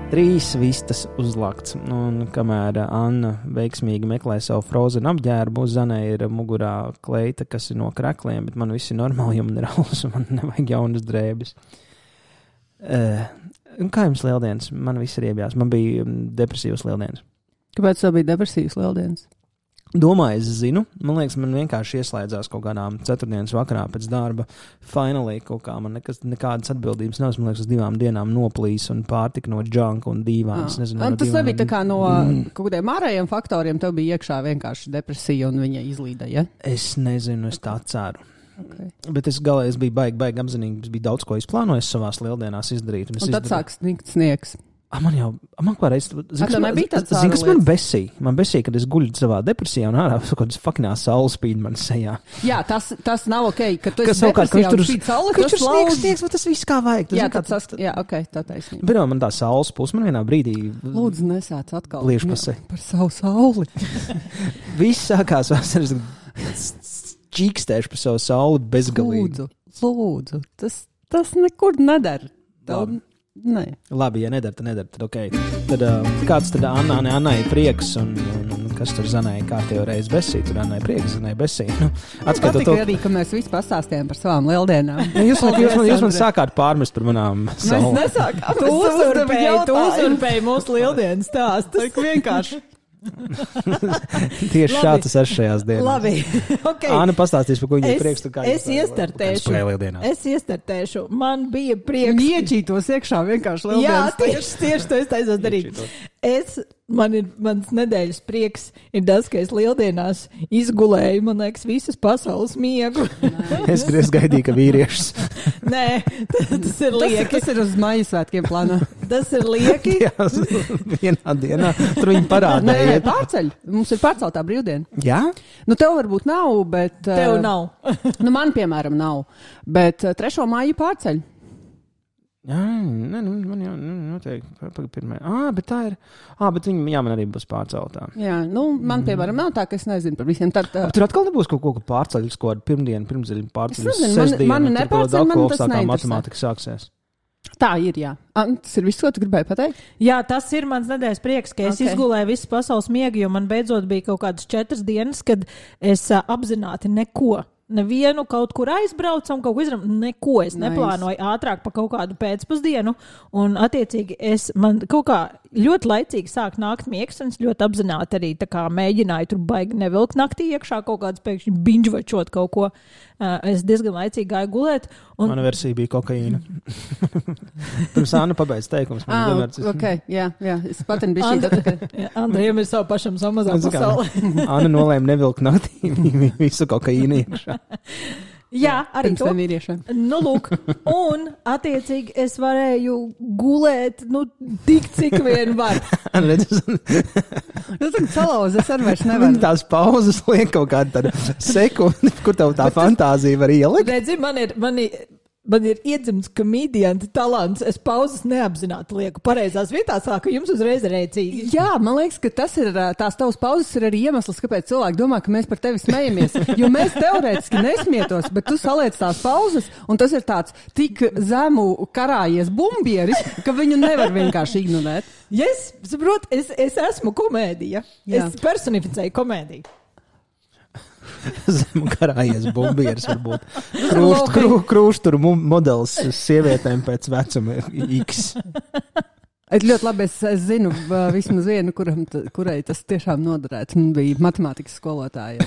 3 vistas uzlakts, un kamēr Anna veiksmīgi meklē savu Frozen apģērbu, Zanai ir mugurā kleita, kas ir no krekliem, bet man viss ir normāli, jo man ir alus, un man nevajag jaunas drēbes. Un kā jums lieldienas? Man viss ir iebjās. Man bija depresīvas lieldienas. Kāpēc tev bija depresīvas lieldienas? Domāju, es zinu. Man liekas, man vienkārši ieslēdzās kaut kādām ceturtdienas vakarā pēc darba. Finally kaut kā man nekādas atbildības nav. Man liekas, uz 2 dienām noplīs un pārtika no džanka un dīvāns. Tas nebija tā kā no kaut kādiem ārējiem faktoriem. Tev bija iekšā vienkārši depresija un viņa izlīda, ja? Es nezinu, es tā ceru. Okay. Bet es biju baigi apzinīgi. Es biju daudz ko izplānojis savās lieldienās izdarīt. Un tad sāk sniegt sniegs. Man kādreiz, kas man besīja? Man besīja, kad es guļu savā depresijā un ārā kaut kādas fuckinā saules spīd man sejā. Jā, tas nav ok, ka tu esi depresijā un spīd saule, kas tur sniegs, tas viss kā vajag. Jā, ok, tā taisnība. Bet man tā saules puse, man vienā brīdī... Lūdzu, nesāc atkal par savu sauli. Viss sākās vasaras čīkstēšu par savu sauli bezgalīgi. Lūdzu, tas nekur nedara. Nē. Labi, ja nedara, tad ok. Tad kāds tad Annai prieks un kas tur Zanai kārtējo reizi besī? Tur Annai prieks, Zanai besī. Atskatot to... arī, ka mēs visi pastāstījām par savām lieldienām. Jūs man sākāt pārmest par manām savu. Mēs nesākām. Tu uzurpēji mūsu lieldienas stāstus. Tas vienkārši. Tieši šā tas ir šajās dienās. Labi, okay. Anna pastāstīs, par ko viņai prieks. Es iestartēšu. Man bija prieks. Iečītos iekšā vienkārši lieldienas. Jā, tieši to es taisos darīt. Mans nedēļas prieks ir tas, ka es lieldienās izgulēju, man liekas, visas pasaules miegu. Es gaidīju, ka vīriešus. Nē, tas ir lieki. Tas ir uz Maijas svētkiem plānā. Tas ir lieki. Jā, vienā dienā. Tur viņi parādīja. Nē, pārceļ. Mums ir pārceltā brīvdiena. Jā? Nu, tev varbūt nav, bet... Tev nav. Man, piemēram, nav. Bet 3. māju pārceļ. Jā, man jau noteikti pirmā. Bet tā ir. Bet viņa man arī būs pārceltā. Jā, man, piemēram, nav tā, ka es nezinu par visiem. Tur atkal nebūs kaut ko pārceļus, ko ar pirmdienu pārceļus sestdienu. Man nepārceļ, man tas neinteresē. Matemātika sāksies. Tā ir, jā. Tas ir viss, ko tu gribēji pateikt? Jā, tas ir mans nedēļas prieks, ka es izgulēju visu pasaules miegu, jo man beidzot bija kaut kādas 4 dienas, kad es apzināti nevienu kaut kur aizbraucam, kaut ko izdarām, neko es neplānoju ātrāk pa kaut kādu pēcpusdienu, un attiecīgi man kaut kā ļoti laicīgi sāk nākt miegs, un es ļoti apzināti arī tā kā mēģināju tur baigi nevilkt naktī iekšā kaut kādas pēkšņi binžvačot kaut ko. Es diezgan laicīgi gāju gulēt. Mana versija bija kokaīna. Pirms Anna pabeidz teikums. Okay, jā, es patin biju šī. Andrejam ir savu pašam samazā pasauli. Anna nolēma nevilkt naktī visu kokaīnu iekšā. Jā, arī to. Nu, lūk, un attiecīgi es varēju gulēt, tik cik vien var. Tagad salauzi, es arī vairs nevaru. Tās pauzes liek kaut kādu tādu sekundi, kur tev tā fantāzija var ielikt. Redzi, man ir iedzimts komēdianta talants. Es pauzes neapzināti lieku pareizās vietās, ka jums uzreiz ir rēcīgi. Jā, man liekas, ka tās tavas pauzes ir arī iemesls, kāpēc cilvēki domā, ka mēs par tevi smejamies. Jo mēs teorētiski nesmietos, bet tu saliec tās pauzes, un tas ir tāds tik zemu karājies bumbieris, ka viņu nevar vienkārši ignorēt. Yes, saprot, es esmu komēdija. Jā. Es personificēju komēdiju. Zem karājies bumbieris varbūt. Krūšturu modelis sievietēm pēc vecuma X. Es ļoti labi es zinu vismaz vienu, kurai tas tiešām noderētu. Bija matemātikas skolotāja.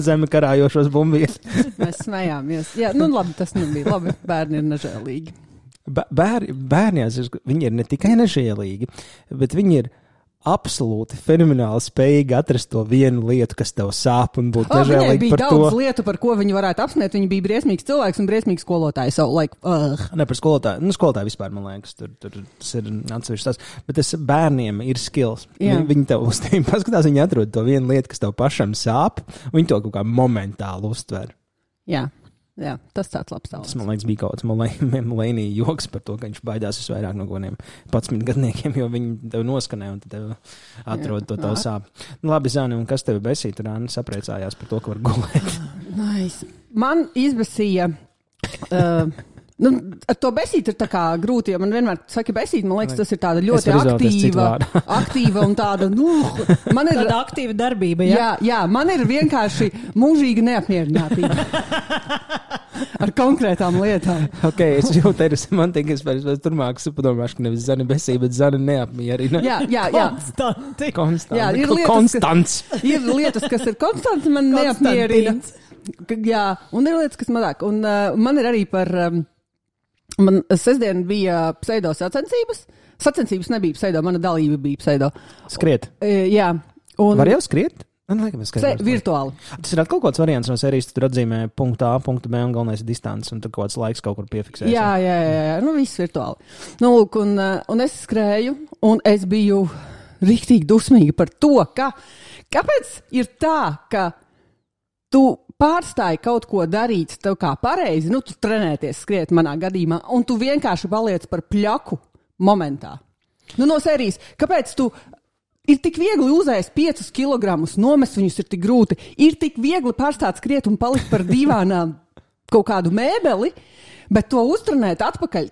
Zem karājošos bumbieris. Mēs smējāmies. Jā, labi, tas nebija labi. Bērni ir nežēlīgi. Bērnās viņi ir ne tikai nežēlīgi, bet viņi ir absolūti fenomenāli spējīgi atrast to vienu lietu, kas tev sāp un būt nežēlīgi par to. Bija daudz lietu, par ko viņi varētu apsmiet. Viņi bija briesmīgs cilvēks un briesmīgs skolotājs. Ne par skolotāju. Skolotāju vispār, man liekas, tas ir atsevišķs tas. Bet bērniem ir skills. Viņi tev uz tiem paskatās, viņi atrod to vienu lietu, kas tev pašam sāp, un viņi to kaut kā momentāli uztver. Jā, tas tāds labs tālāk. Tas, man liekas, bija kaut kāds Mulēnī joks par to, ka viņš baidās visvairāk no godiem 11 gadniekiem, jo viņi tev noskanē un tev atrod to tavu sāp. Labi, Zani, un kas tevi besīja? Tur Anna sapriecājās par to, ka var gulēt. Nice. Man izbesīja Ar to besīt ir tā kā grūti, jo man vienmēr saka besīt, man liekas, tas ir tāda ļoti aktīva un tāda, man ir tāda aktīva darbība, ja? Jā, man ir vienkārši mūžīga neapmierinātība ar konkrētām lietām. Ok, es jūtu, man tiek, es turmāk padomāšu, ka nevis zana besība, bet zana neapmierina. Jā. Konstanti. Jā, ir lietas, kas ir konstanti, man neapmierina. Jā, un ir lietas, kas mazāk. Un man ir arī par... Man sestdien bija pseido sacensības. Sacensības nebija pseido, mana dalība bija pseido. Skriet. Jā. Var jau skriet? Virtuāli. Tas ir kaut kāds variants no sērijas, tur atzīmē punktu A, punktu B un galvenais ir distants, un tur kaut kāds laiks kaut kur piefiksēs. Jā. Viss virtuāli. Lūk, un es skrēju, un es biju riktīgi dusmīga par to, kāpēc ir tā, ka tu pārstāji kaut ko darīt tev kā pareizi, tu trenēties, skriet manā gadījumā, un tu vienkārši paliec par pļaku momentā. No sērijas, kāpēc tu ir tik viegli uzēst 5 kilogramus, nomest viņus ir tik grūti, ir tik viegli pārstāt skriet un palikt par divānām kaut kādu mēbeli, bet to uztrenēt atpakaļ,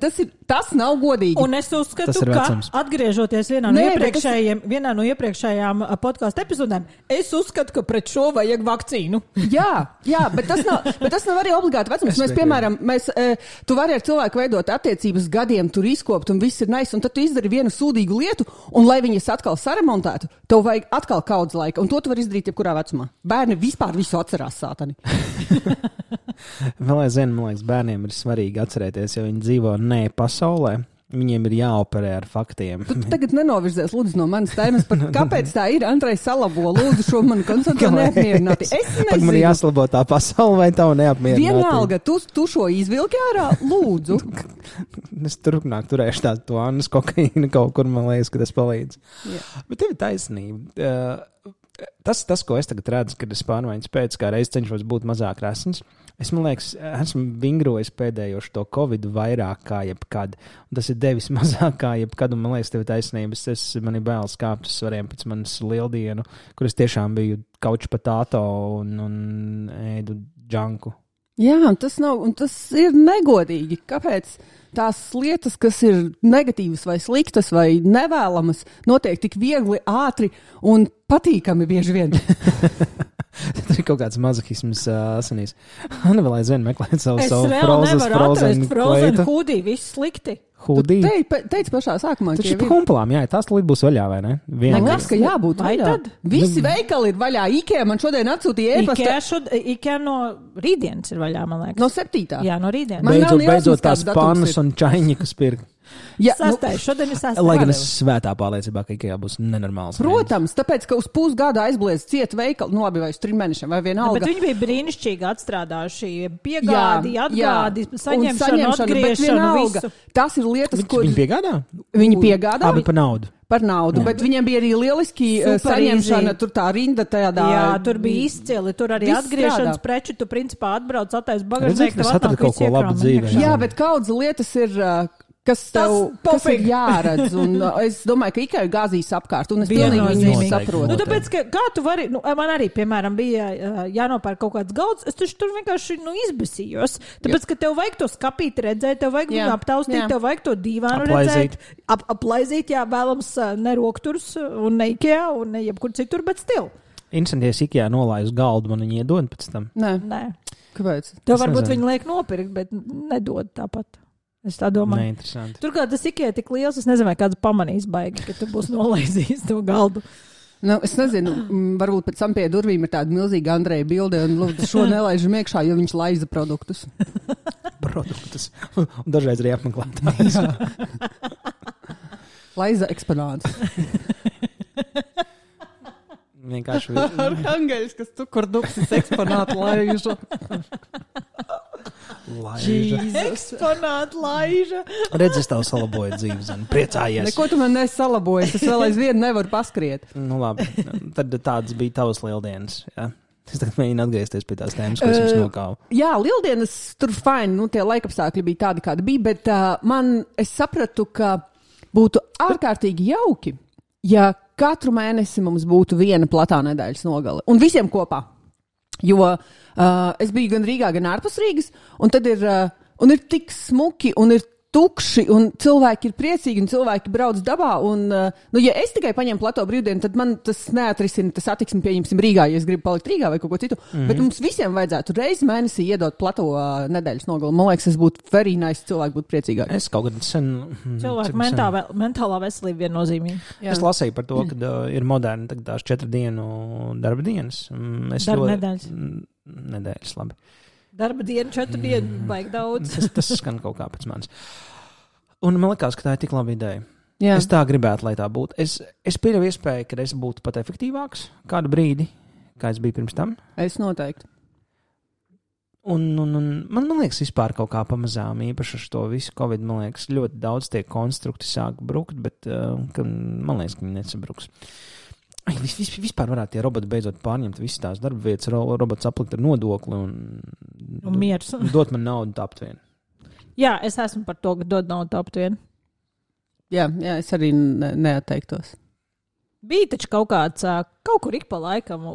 tas nav godīgi. Un es uzskatu, ka atgriežoties vienā no iepriekšējām podcastu epizodēm, es uzskatu, ka pret šo vajag vakcīnu. Jā, bet tas nav arī obligāti vecums. Mēs, piemēram, tu vari ar cilvēku veidot attiecības gadiem, tur izkopt un viss ir nice, un tad tu izdari vienu sūdīgu lietu, un lai viņas atkal saremontētu, tev vajag atkal kaudz laika, un to tu vari izdarīt jebkurā vecumā. Bērni vispār visu atcerās, sātani. Vēl aizvien, man liekas, bērniem ir svarīgi atcerēties, ja viņi dzīvo ne pasaulē, viņiem ir jāoperē ar faktiem. Tu tagad nenovirzies, lūdzu, no manas tēmas par kāpēc tā ir, Andrejs salabo, lūdzu, šo manu konceptu neapmierināti. Es nezinu. Man jāslabo tā pasaule vai tavu neapmierināti? Vienalga, tu šo izvilki ārā, lūdzu. Es turēšu to Annas kokaīnu kaut kur, man liekas, ka tas palīdz. Jā. Bet tev ir taisnība. Tas, ko es tagad redzu, kad es pārmaiņas pēc, kā reiz cenšos būt mazāk resns, es, man liekas, esmu vingrojis pēdējoši to Covid vairāk kā jebkad. Un tas ir devis mazāk kā jebkad, un man liekas, tev ir taisnības. Man ir bailes kāpt uz svariem pēc manas lieldienu, kur es tiešām biju kauč patāto un ēdu džanku. Jā, un tas ir negodīgi. Kāpēc tās lietas, kas ir negatīvas vai sliktas vai nevēlamas, notiek tik viegli, ātri un patīkami bieži vien? Tur ir kaut kāds mazohisms asinīs. Anna vēl aizvien meklēt savu frozen hoodie, viss slikti. Hudī. Teici pašā sākumā, ka ir humpalām, jā, tās līdz būs vaļā, vai ne? Nekas, ka jābūt vaļā. Visi veikali ir vaļā. IKEA man šodien atsūtīja e-pasta. IKEA no rītdienas ir vaļā, man liekas. No 7. Jā, no rītdienas. Beidzot tās pannas un čaiņikas pirkt. Jā, šodien ir 6. Lai gan es svētā pārliecībā, ka IKEA būs nenormāls. Protams, tāpēc, ka uz pusgada aizbliedz ciet veikali, vai uz 3 mēnešiem, vai vienalga. Bet viņi bija brīnišķīgi atstrādājuši, piegādi, atgādi, saņemšanu, atgriešanu, visu. Tas ir lietas, ko... Viņi piegādā? Viņi piegādā. Abi par naudu. Par naudu, bet viņiem bija arī lieliski saņemšana, tur tā rinda tādā... Jā, tur bija izcili, tur arī atgriešanas preču, tu principā atbrauc, attais bagažnieki, tev atnāk kaut ko labu dzīvē. Jā, bet kaudz lietas ir... kas ir jāredz, un es domāju, ka IKEA gāzīs apkārt, un es pilnīgi viņu saprotu. Tāpēc, ka kā tu vari, man arī, piemēram, bija jānopērk kaut kāds galds, es tur vienkārši, izbesījos, tāpēc, ka tev vajag to skapīt redzēt, tev vajag viņu aptaustīt, tev vajag to dīvānu redzēt, aplaizīt, vēlams ne rokturs, un ne IKEA, un ne jebkur citur, bet stil. Instanties IKEA nolāj uz galdu, man viņi iedod pēc tam. Nē. Kāpēc? Tev varbūt viņi liek nopirkt, bet nedod tāpat. Es tā domāju. Neinteresanti. Turklāt tas IKEA tik liels, es nezinu, vai kāds pamanīs baigi, ka tu būs nolaizījis to galdu. Es nezinu, varbūt pēc tam pie durvīm ir tāda milzīga Andreja bilde, un lūdzu šo nelaižam iekšā, jo viņš laiza produktus. Un dažreiz arī apmeklētājs. Laiza eksponāts. Vienkārši... Arhangeļs, kas tu, kur duksis eksponātu laižu. Eksponāta laiža. Redz, es tev salaboju dzīvi, zini, priecājies. Neko tu man nesalaboji, es vēl aizvien nevaru paskriet. Labi, tad tādas bija tavas lieldienas, jā? Es tagad mēģinu atgriezties pie tās tēmas, ko es jums nokāvu. Jā, lieldienas tur fine, tie laikapstākļi bija tādi, kādi bija, bet es sapratu, ka būtu ārkārtīgi jauki, ja katru mēnesi mums būtu viena platā nedēļas nogale. Un visiem kopā. Jo es biju gan Rīgā, gan ārpus Rīgas, un tad ir Un ir tik smuki, un ir tukši, un cilvēki ir priecīgi, un cilvēki brauc dabā, un, ja es tikai paņemu plato brīvdienu, tad man tas neatrisina, tas attiksmi pieņemsim Rīgā, ja es gribu palikt Rīgā vai kaut ko citu, bet mums visiem vajadzētu reizi mēnesī iedot plato nedēļas nogalu. Man liekas, es būtu very nice, cilvēki būtu priecīgāki. Es kaut kad sen... Cilvēku mentālā veselība viennozīmīgi. Es lasīju par to, ka ir moderni tagad tās 4 dienu darba dienas. Nedēļas. Nedēļas, labi. Darba diena, 4 dienu, baigi daudz. Tas skan kaut kā pēc manis. Un man likās, ka tā ir tik laba ideja. Jā. Es tā gribētu, lai tā būtu. Es pieļauju iespēju, ka es būtu pat efektīvāks kādu brīdi, kā es biju pirms tam. Es noteikti. Un man liekas, vispār kaut kā pamazām, īpaši ar to visu Covid, man liekas, ļoti daudz tie konstrukti sāk brukt, bet man liekas, ka viņi nesabruks. Vispār varētu tie roboti beidzot pārņemt visas tās darba vietas, robots aplikt ar nodokli un miers. Dot man naudu tapt vien. Jā, es esmu par to, ka dod naudu tapt vien. Jā, es arī neatteiktos. Bija taču kaut kāds, kaut kur ik pa laikam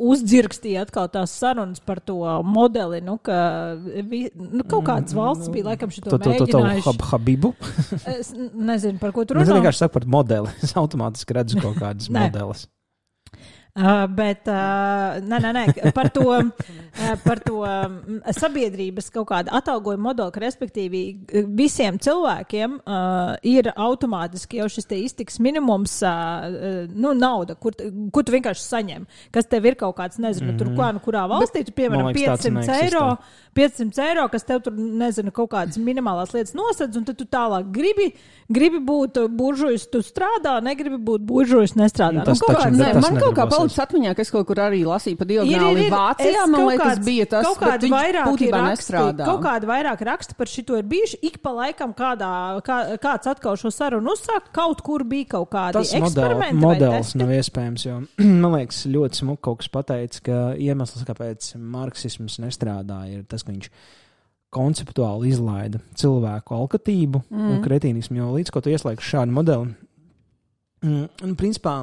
uzdzirkstīja atkal tās sarunas par to modeli, ka kaut kādas valsts bija laikam šito mēģinājuši. Habibu? Es nezinu, par ko tu runā. Es vienkārši saku par modeli. Es automātiski redzu kaut kādas modeles. Bet par to sabiedrības kaut kādu atalgojumu modeli, ka respektīvi visiem cilvēkiem ir automātiski jau šis te iztiks minimums, nauda, kur tu vienkārši saņem, kas tev ir kaut kāds, nezinu, tur kurā valstī, tu piemēram 500 eiro, kas tev tur, nezinu, kaut kādas minimālās lietas nosedz, un tad tu tālāk gribi būt buržujs, tu strādā, negribi būt buržujs, nestrādā. Man kaut kā palicis atmiņā, ka es kaut kur arī lasīju pa diagonāli Vācijā, man liekas, bija tas, bet viņš būtībā nestrādā. Kaut kādi vairāk raksti par šito ir bijuši, ik pa laikam kāds atkal šo sarunu uzsāk, kaut kur bija kaut kādi eksperimenti. Tas modelis nav iespējams, jo man liekas ļoti smuki kaut kas pateicis, ka iemesls, kāpēc marksisms nestrādā, ir tas, ka viņš konceptuāli izlaida cilvēku alkatību un kretīnismu, jo līdz ko tu ieslēgsi šādu modeli, un principā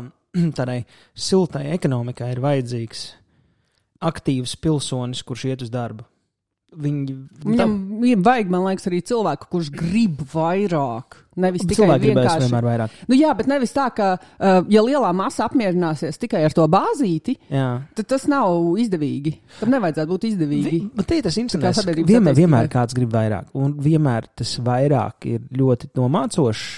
tādai siltai ekonomikai ir vajadzīgs aktīvs pilsonis, kurš iet uz darbu. Viņam vajag, man liekas, arī cilvēku, kurš grib vairāk. Nevis tikai cilvēki gribēs vienmēr vairāk. Jā, bet nevis tā, ka ja lielā masa apmierināsies tikai ar to bāzīti, tad tas nav izdevīgi. Tam nevajadzētu būt izdevīgi. Bet tas interesants, vienmēr kāds grib vairāk. Un vienmēr tas vairāk ir ļoti nomācošs.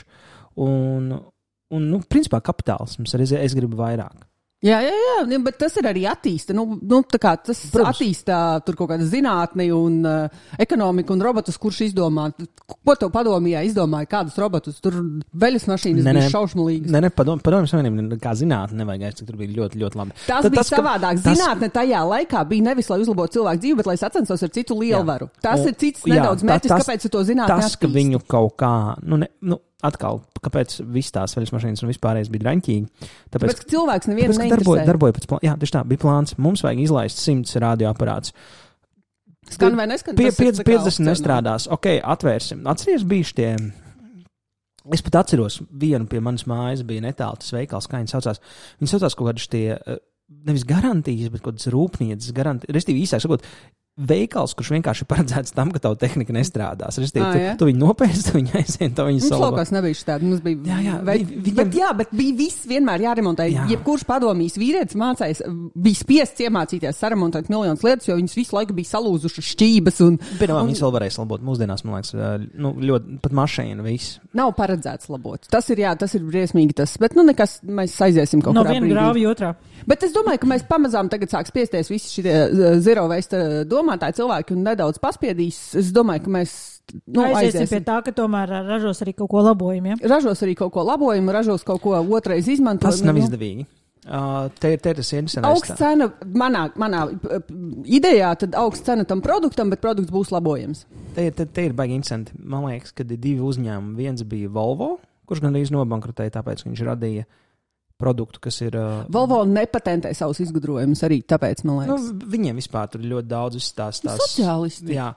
Un principā kapitālisms, es gribu vairāk. Jā, bet tas ir arī attīsta. Tā kā tas attīsta tur kaut kāda zinātni un ekonomika un robotus, kurš izdomā. Ko tev padomījā izdomāja, kādus robotus? Tur veļas mašīnas bija šaušmalīgas. Padomjas Savienība kā zinātne nevajag, cik tur bija ļoti, ļoti labi. Tas savādāk. Zinātne tajā laikā bija nevis, lai uzlabotu cilvēku dzīvi, bet lai sacenstos ar citu lielvaru. Tas ir cits nedaudz mērķis, kāpēc tu to zinātni attīsti. Tas, ka viņu kaut kā, atkal, kāpēc viss tās veļas mašīnas un vispārējais bija draņķīgi? Tāpēc, ka cilvēks nevienu neinteresē. Darboja pēc plāna. Jā, tieši tā, bija plāns. Mums vajag izlaist 100 radioaparātus. Skan vai neskan? 50 nestrādās. Ok, atvērsim. Atceries bijuši tie... Es pat atceros, vienu pie manas mājas bija netālu tas veikals, kā viņi saucās. Viņi saucās kaut kādi tie, nevis garantijas, bet kaut kādas rūpnieces garantijas. Restīvi īsāk sakot, veikals, kurš vienkārši paredzēts tam, ka tavu tehnika nestrādās. Tu viņu nopērci, tu viņu aizsien, tu viņu salabā. Mums laukās nebija šitādi. Mums bija, bet bija viss vienmēr jāremontē. Jebkurš padomīs vīrietis mācējis, bija spiests iemācīties saremontēt miljonus lietas, jo viņas visu laiku bija salūzušas šķības. Viņas vēl varēja labot mūsdienās, man liekas, ļoti pat mašīna viss. Nav paredzēts labot. Tas ir briesmīgi tas, bet nekas, mēs aiziesim kaut kādā brīdī. No viena grāvi otrā. Bet es domāju, ka mēs pamazām tagad sāks piesties visi šitie zero waste domātāji cilvēki un nedaudz paspiedīs. Es domāju, ka mēs aiziesim pie tā, ka tomēr ražos arī kaut ko labojumu. Ja? Ražos arī kaut ko labojumu, ražos kaut ko otrais izmantojumu. Tas nav izdevīgi. Te ir tas interesants. Augsts cena manā idejā, tad augsts cena tam produktam, bet produkts būs labojams. Te ir baigi interesanti. Man liekas, ka ir 2 uzņēmumi. Viens bija Volvo, kurš gandrīz nobankrotēja, tāpēc viņš radīja produktu, kas ir... Volvo nepatentē savus izgudrojumus arī, tāpēc, man liekas. Viņiem vispār tur ļoti daudz tās... Sociālisti. Jā.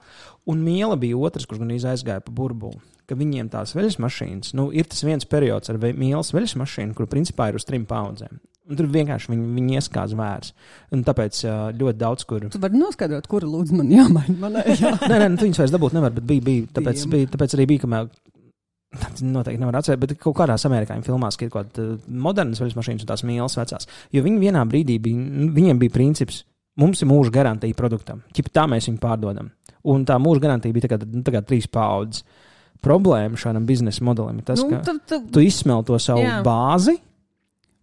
Un Miela bija otrs, kurš gan aizgāja pa burbuli. Ka viņiem tās veļas mašīnas, ir tas viens periods ar Mielas veļas mašīnu, kur principā ir uz 3 paudzēm. Un tur vienkārši viņi ieskāz vērts. Un tāpēc ļoti daudz, kur... Tu vari noskaidrot, kura lūdzu man jāmaina. Nē, tu viņus vairs dabūt nevar, bet bija tāpēc arī bija, kamēr noteikti nevar atcerēt, bet kaut kādās amerikāņu filmās, ka ir kaut kāda modernas veļas mašīnas un tās mīlas vecās. Jo viņi vienā brīdī viņiem bija princips, mums ir mūža garantija produktam. Tā mēs viņu pārdodam. Un tā mūža garantija bija tā kā 3 paudzes. Problēma šādam biznesa modelim ir tas, ka tu izsmel to savu bāzi,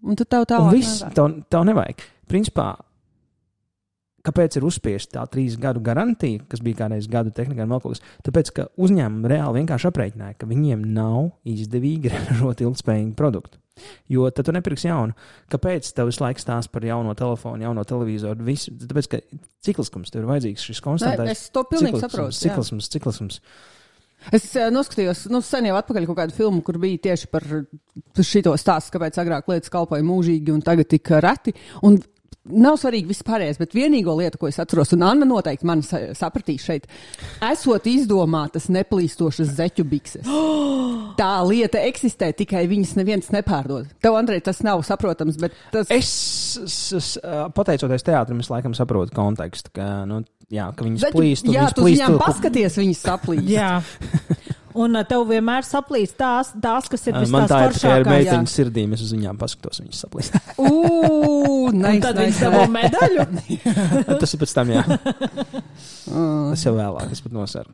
un tu tev tālāk nevajag. Tev nevajag. Principā, kāpēc ir uzspiesta tā 3 gadu garantija, kas bija kādreiz gadu tehnikā un vēl kaut kas? Tāpēc, ka uzņēmumi reāli vienkārši aprēķināja, ka viņiem nav izdevīgi ražot ilgspējīgu produktu. Jo tad tu nepirksi jaunu. Kāpēc tev visu laiku stāst par jauno telefonu, jauno televizoru? Visu? Tāpēc, ka cikliskums tev ir vajadzīgs, šis konstantais. Es to pilnīgi saprotu. Ciklisms. Es noskatījos, sen jau atpakaļ kaut kādu filmu, kur bija tieši par šito stāstu, kāpēc agrāk lietas kalpoja mūžīgi un tagad tik reti. Un nav svarīgi viss pārējais, bet vienīgo lietu, ko es atceros, un Anna noteikti mani sapratīs šeit, esot izdomātas neplīstošas zeķu bikses. Tā lieta eksistē, tikai viņas neviens nepārdod. Tev, Andrej, tas nav saprotams, bet tas... Es pateicoties teātrim, es laikam saprotu kontekstu, ka, ka viņas plīst. Jā, tu viņām paskaties, viņas saplīst. Jā. Un tev vienmēr saplīst tās, kas ir man tā ir tikai ar meiteņu sirdīm, es uz viņām paskatos, viņas saplīst. Tad viņas dabū medaļu? Tas ir pēc tam, jā. Tas jau vēlāk, es pat nosaru.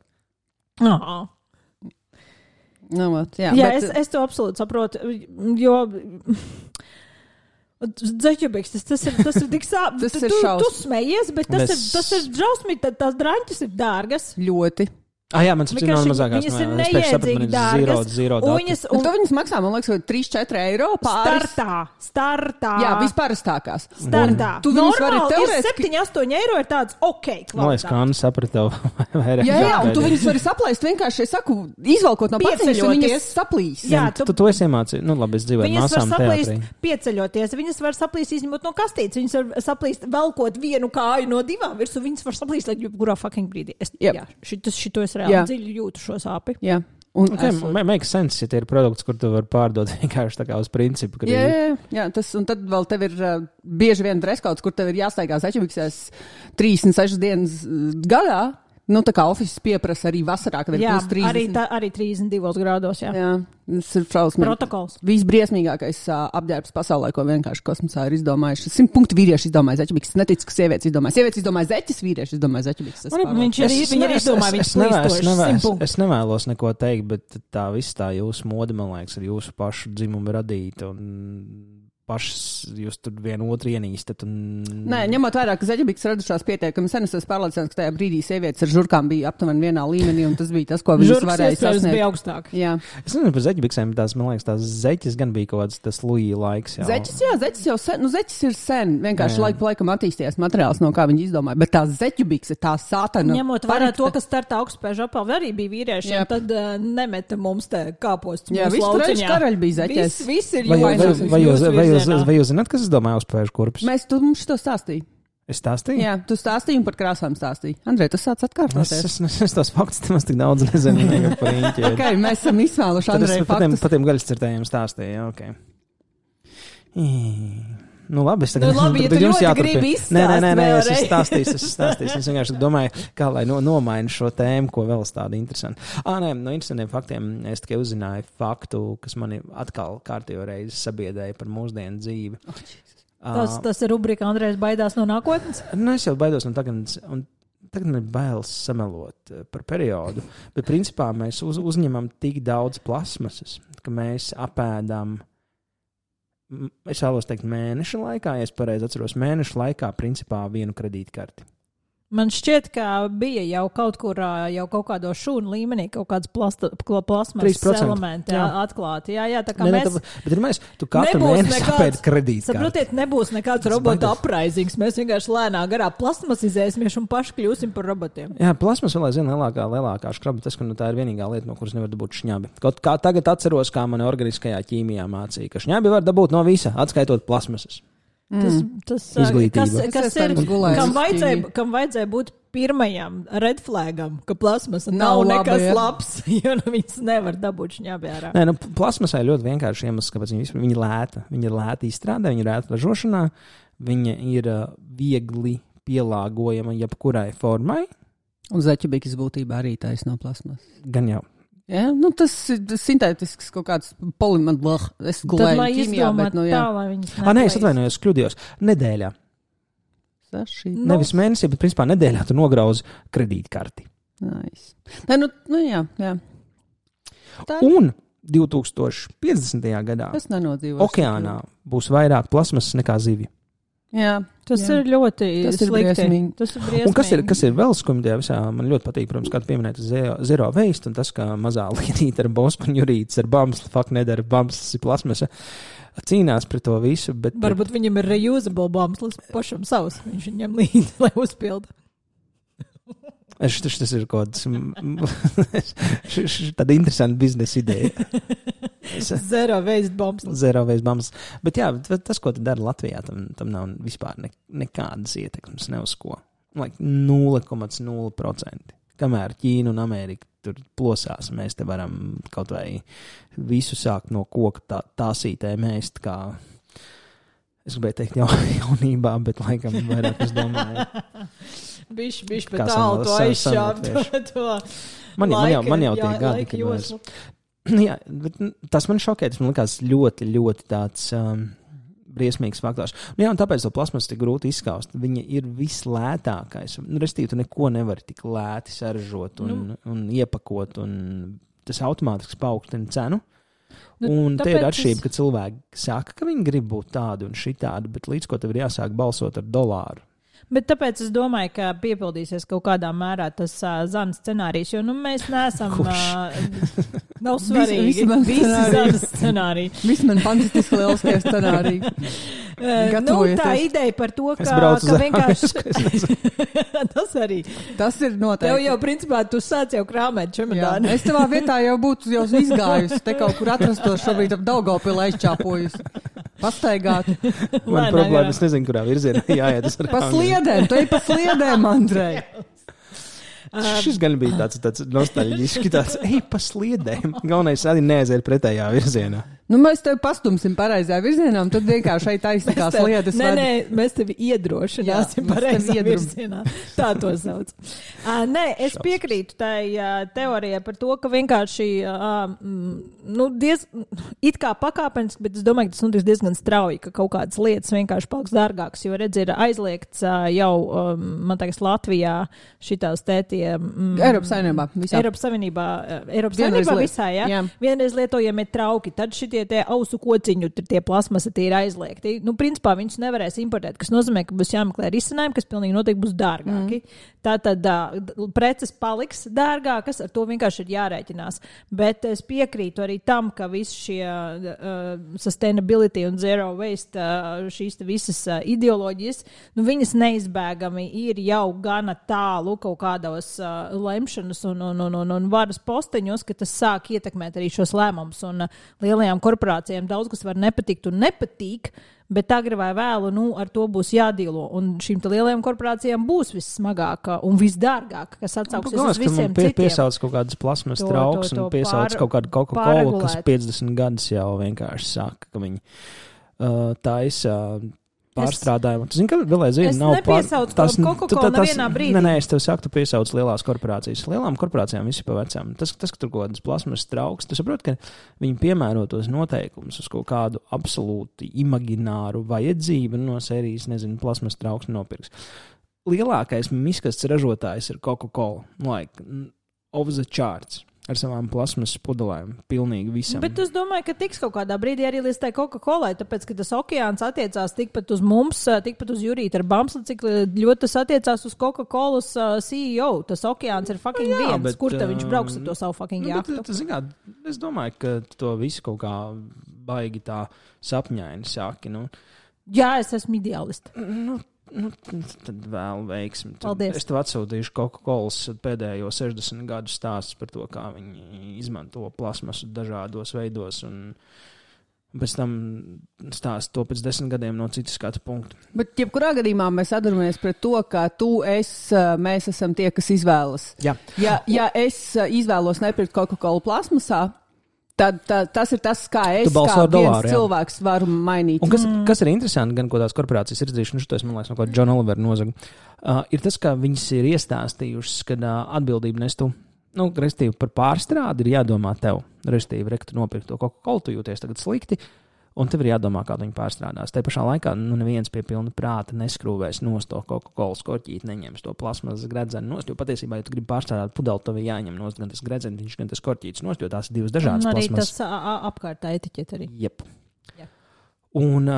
Es to absolūti saprotu, jo... Zeķubiks, tas ir tik sāp. Tu smejies, bet tas ir drausmīgi, tās draņķis ir dārgas. Ļoti. Jā, man ir mazākās. Viņas ir neiedzīgi dārgas. Un to viņas maksā, man liekas, 3-4 eiro pāris. Startā. Jā, vispārastākās. Startā. Tu viņus vari teorētiski... 7-8 eiro ir tāds ok kvalitāte. Man liekas, kā Anna saprata tev. Jā, un tu viņus vari saplaist vienkārši, es saku, izvalkot no paciņas, un viņas saplīs. Jā, tu esi iemācīji. Labi, es dzīvoju māsām teātrī. Pieceļoties. Viņas var saplīst izņemot no kastītes. Viņas var saplīst velkot vienu kāju no divām virsū. Viņas var saplīst, lai jebkurā fucking brīdī. Šito es reāli dziļi jūtu šo sāpi. Jā. Makes sense, ja tie ir produkts, kur tu vari pārdot vienkārši tā kā uz principu. Jā, un tad vēl tev ir bieži vien dreskauts, kur tev ir jāstaigā zeķubiksēs 36 dienas gadā. Tā kā ofises pieprasa arī vasarā, kad ir plus 30. Arī 32 grādos, jā. Tas ir šausmīgi. Protokols. Visbriesmīgākais apģērbs pasaulē, ko vienkārši kosmosā ir izdomājuši. 100 punktu vīrieši izdomāja zeķubikses. Neticu, ka sievietes izdomāja. Sievietes izdomāja zeķis, vīrieši izdomāja zeķubikses. Viņi arī izdomāja viņas plīstošas. Es nevēlos neko teikt, bet tā viss tā jūsu mode, man liekas, ir jūsu pašu dzimumu radīta un pašas jūs tur vienu otru ienīstat. Nē, ņemot vērā, ka zeķubikses radušās pietiekami sen, es pārliecināts, ka tajā brīdī sievietes ar žurkām bija aptuveni vienā līmenī, un tas bija tas, ko viņas varēja sasniegt. Žurkas bija augstāk. Jā. Es nezinu par zeķubiksēm, bet man liekas, tās zeķis gan bija kaut kāds tas Luija laiks. Zeķis jau sen, zeķis ir sen, vienkārši laiku pa laikam attīstījies materiāls, no kā viņi izdomāja, bet tās zeķubikse, tā sātana. Ņemot vērā to, kas starta augstspēžu apalvi arī bija vīriešiem, tad nemeta mums te kāpostus. Jā, viss karaļi bija zeķis. Viss ir Vai jūs zināt, kas es domāju uzspēžu kurpes? Mums to stāstīja. Es stāstīju? Jā, tu stāstīji un par krāsām stāstīji. Andrej, tu sāc atkārtoties. Es tos faktus nemaz tik daudz nezinu. Okay, mēs esam izsmēluši Andreju faktus. Par tiem gaļascirtējiem stāstīju, ok. Labi, es tagad ja tu ļoti gribi izstāst. Nē, es stāstīšu. Es vienkārši domāju, kā lai nomainu šo tēmu, ko vēl tādu interesantu. No interesantiem faktiem es tikai uzzināju faktu, kas mani atkal kārtējo reizi sabiedēja par mūsdienu dzīvi. Tas ir rubrika Andrejs baidās no nākotnes? Es jau baidos no tagadnes, un tagad man ir bailes samelot par periodu, bet principā mēs uzņemam tik daudz plasmasas, ka mēs apēdam. Es vēlos teikt mēneša laikā, ja es pareizi atceros, mēneša laikā principā vienu kredītkarti. Man šķiet, ka bija jau kaut kur, jau kaut kādo šūnu līmenī, kaut kāds plasmasas elementi atklāti. Jā, tā kā mēs... Bet ir mēs, tu katru mēnesi apēdi kredītkarti. Saprotiet, nebūs nekāds robota apraizings. Mēs vienkārši lēnā garā plasmasizēsimies un paši kļūsim par robotiem. Jā, plasmas vēl aizvien lielākā škraba. Tas, ka tā ir vienīgā lieta, no kuras nevar dabūt šņabi. Kaut kā tagad atceros, kā mani organiskajā ķīmijā mācīja, ka šņabi var dabūt no visa, atskaitot plasmasas. Tas izglītība. Kas ir, kam vajadzēja būt pirmajam red flagam, ka plasmasa nav nekas labs, jo viņas nevar dabūt šņābjārā. Nē, plasmasai ļoti vienkārši iemesls, kāpēc viņa ir lēta. Viņa ir lēta izstrādē, viņa ir lēta ražošanā, viņa ir viegli pielāgojama jebkurai formai. Un zaķibīkas būtībā arī taisa no plasmas. Gan jau. Ja, tas ir sintētisks kaut kāds polimodlāh. Es gulēju ķīmijā, bet tā, lai viņas nē, es atvainojos, kļūdījos. Nedēļā. Nevis mēnesī, bet principā nedēļā tu nograuzi kredītkarti. Nice. Nē, jā. Un 2050. gadā okeānā būs vairāk plasmasas nekā zivju. Jā, tas ir ļoti slikti. Tas ir briesmīgi. Un kas ir vēl skumjā visā, man ļoti patīk, protams, kā tu pieminēji zero waste, un tas, ka mazā lietīte ar bospaņurītes ar bamsli, nedara bamslis ir plasmasa, cīnās pret to visu, bet... Varbūt viņam ir reusable bamslis pašam savs, viņš viņam līdzi, lai uzpilda. Tas ir kaut kāds tāda interesanta biznesa ideja. Zero waste bumps. Bet jā, tas, ko tu dari Latvijā, tam nav vispār nekādas ietekmes, ne uz ko. 0,0%. Kamēr Ķīna un Amerika tur plosās, mēs te varam kaut vai visu sākt no koka tāsītē mēst, kā es gribēju teikt jaunībā, bet laikam vairāk es domāju. Bišķi pat tālu to aizšāpt. Man jau tie gadi, kad mēs... Jā, bet tas man šokē, tas man likās ļoti, ļoti tāds briesmīgs faktors. Jā, un tāpēc to plasmasu tik grūti izskaust. Viņa ir vislētākais. Restīvi, tu neko nevari tik lēti saražot un iepakot, un tas automātiski paaugstina cenu. Un te ir atšķirība, ka cilvēki saka, ka viņi grib būt tādi un šitādi, bet līdz ko tev ir jāsāk balsot ar $1. Bet tāpēc es domāju, ka piepildīsies kaut kādā mērā tas Zana scenārijs, jo mēs neesam... Nav svarīgi. Visi Zana scenāriji. Visi man fantastiski lieliskie scenāriji. Tā ideja par to, ka vienkārši... Tas arī. Tas ir noteikti. Tev jau, principā, tu sāc jau krāmēt čemodāni. Es tavā vietā jau būtu jau izgājusi. Te kaut kur atrastos šobrīd ap Daugavpilu aizčāpojusi. Pastaigāt. Man problēma, es nezinu, kurā virzienā jāiet. Pa sliedēm, tu ej pa sliedēm, Andrej. Šis gan bija tāds nostalģisks, tāds ej pa sliedēm. Galvenais arī neaiziet pretējā virzienā. Mēs tevi pastumsim pareizajā virzienā, un tad vienkārši šeit aizsakās lietas. Nē, mēs tevi iedrošināsim pareizajā virzienā. Tā to sauc. Nē, es piekrītu tai teorijai par to, ka vienkārši it kā pakāpeniski, bet es domāju, ka tas notiks diezgan strauji, ka kaut kādas lietas vienkārši paliks dārgākas, jo redz ir aizliegts jau, man teiks, Latvijā šitās tētie... Eiropas Savienībā visā, jā. Vienreiz lietojamie trauki, tad šitie ausu kociņu, tie plasmasa tie ir aizliegti. Principā viņus nevarēs importēt, kas nozīmē, ka būs jāmeklē risinājumi, kas pilnīgi noteikti būs dārgāki. Tātad preces paliks dārgākas, ar to vienkārši ir jārēķinās. Bet es piekrītu arī tam, ka visi šie sustainability un zero waste, šīs visas ideoloģijas, viņas neizbēgami ir jau gana tālu kaut kādos lemšanas un varas posteņos, ka tas sāk ietekmēt arī šos lēmumus. Un lielajām korporācijām daudz kas var nepatikt un nepatīk, bet agri vai vēlu, ar to būs jādīlo. Un šīm lielajām korporācijām būs vissmagākā un visdārgākā, kas atsauksies uz visiem citiem. Piesauc kaut kādas plasmas trauks un piesauc kaut kādu Coca-Cola, kas 50 gadus jau vienkārši saka, ka viņi taisa pārstrādājumu. Tu zini, ka vēl aizvien nav Coca-Cola nevienā brīdī. Nē, es tev saku, tu piesauc lielās korporācijas. Lielām korporācijām visi pa vecām. Tas ka tur kaut kādas plasmas trauks, tu saproti, ka viņi piemēro tos noteikumus uz kaut kādu absolūti imagināru vajadzību no sērijas, nezinu, plasmas trauks nopirks. Lielākais miskasts ražotājs ir Coca-Cola. Off the charts. Ar savām plasmas pudelēm, pilnīgi visam. Bet es domāju, ka tiks kaut kādā brīdī arī līdz tai Coca-Colai, tāpēc, ka tas okeāns attiecās tikpat uz mums, tikpat uz Jurītu ar Bamsli, cik ļoti tas attiecās uz Coca-Colas CEO. Tas okeāns ir fucking viens. Kur te viņš brauks ar to savu fucking jahtu? Es domāju, ka to visu kaut kā baigi tā sapņaini sāki. Jā, es esmu ideālists. Tad vēl veiksmi. Paldies. Es tev atsūtīšu Coca-Colas pēdējo 60 gadu stāstus par to, kā viņi izmanto plasmasu dažādos veidos un Un pēc tam stāst to pēc 10 gadiem no citas skatu punktu. Bet jebkurā gadījumā mēs atduramies pret to, ka mēs esam tie, kas izvēlas. Jā. Ja es izvēlos nepirkt Coca-Cola plasmasā, tad tas ir tas, kā es kā viens cilvēks varu mainīt. Un kas ir interesanti, gan ko tās korporācijas ir izdarījuši, šo es, man liekas, no ko John Oliver nozaga, ir tas, ka viņas ir iestāstījušas, kad atbildību nes tu. Restīvi par pārstrādi ir jādomā tev. Restīvi, rektu nopirkt to Coca-Cola, tu jūties tagad slikti, un tev ir jādomā, kā viņu pārstrādās. Te pašā laikā neviens pie pilna prāta neskrūvēs nost to Coca-Cola skorķīt, neņems to plasmasas gredzeni nost, jo patiesībā, ja tu gribi pārstrādāt pudeli, tev ir jāņem nost gan tas gredzeniņš, gan tas skorķītis nost, jo tās ir divas dažādas plasmasas. Un arī tas apkārtā etiķet arī. Jep. Un...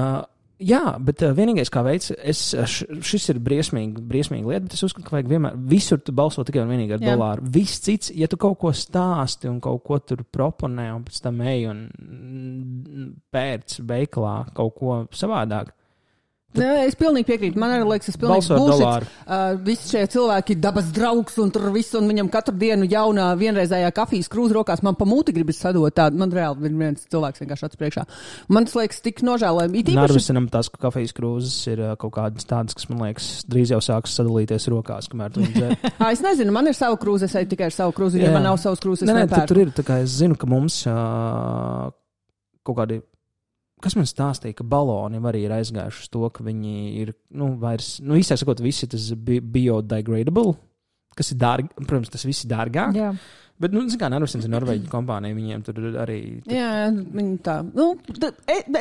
Jā, bet vienīgais, kā veids, šis ir briesmīga lieta, bet es uzskatu, ka vajag vienmēr visur tu balso tikai un vienīgi ar dolāru. Viss cits, ja tu kaut ko stāsti un kaut ko tur proponē un pēc tam ej un pērc veikalā kaut ko savādāk. Es pilnīgi piekrītu. Man arī liekas, tas pilnīgi bullshit. Visi šie cilvēki ir dabas draugs un tur viss, un viņam katru dienu jaunā vienreizējā kafijas krūze rokās. Man pa mūti gribas sadot tādu. Man reāli ir viens cilvēks vienkārši acis priekšā. Man tas liekas tik nožēlojami. Narvisinam tās kafijas krūzes ir kaut kādas tādas, kas, man liekas, drīz jau sāks sadalīties rokās, kamēr tu viņu dzer. Es nezinu, man ir sava krūze, es eju tikai ar savu krūzi, ja man nav savas krūzes. Tur ir, tā kā es zinu, ka mums kaut kādi. Kas man stāstīja, ka baloni arī ir aizgājuši uz to, ka viņi ir, vairs, īsāk sakot, visi tas biodegradable, kas ir dārgi, protams, tas viss ir dārgāk. Jā. Bet, kā Narvisens ir Norvēģi kompānija, viņiem tur arī... Jā, viņi tā.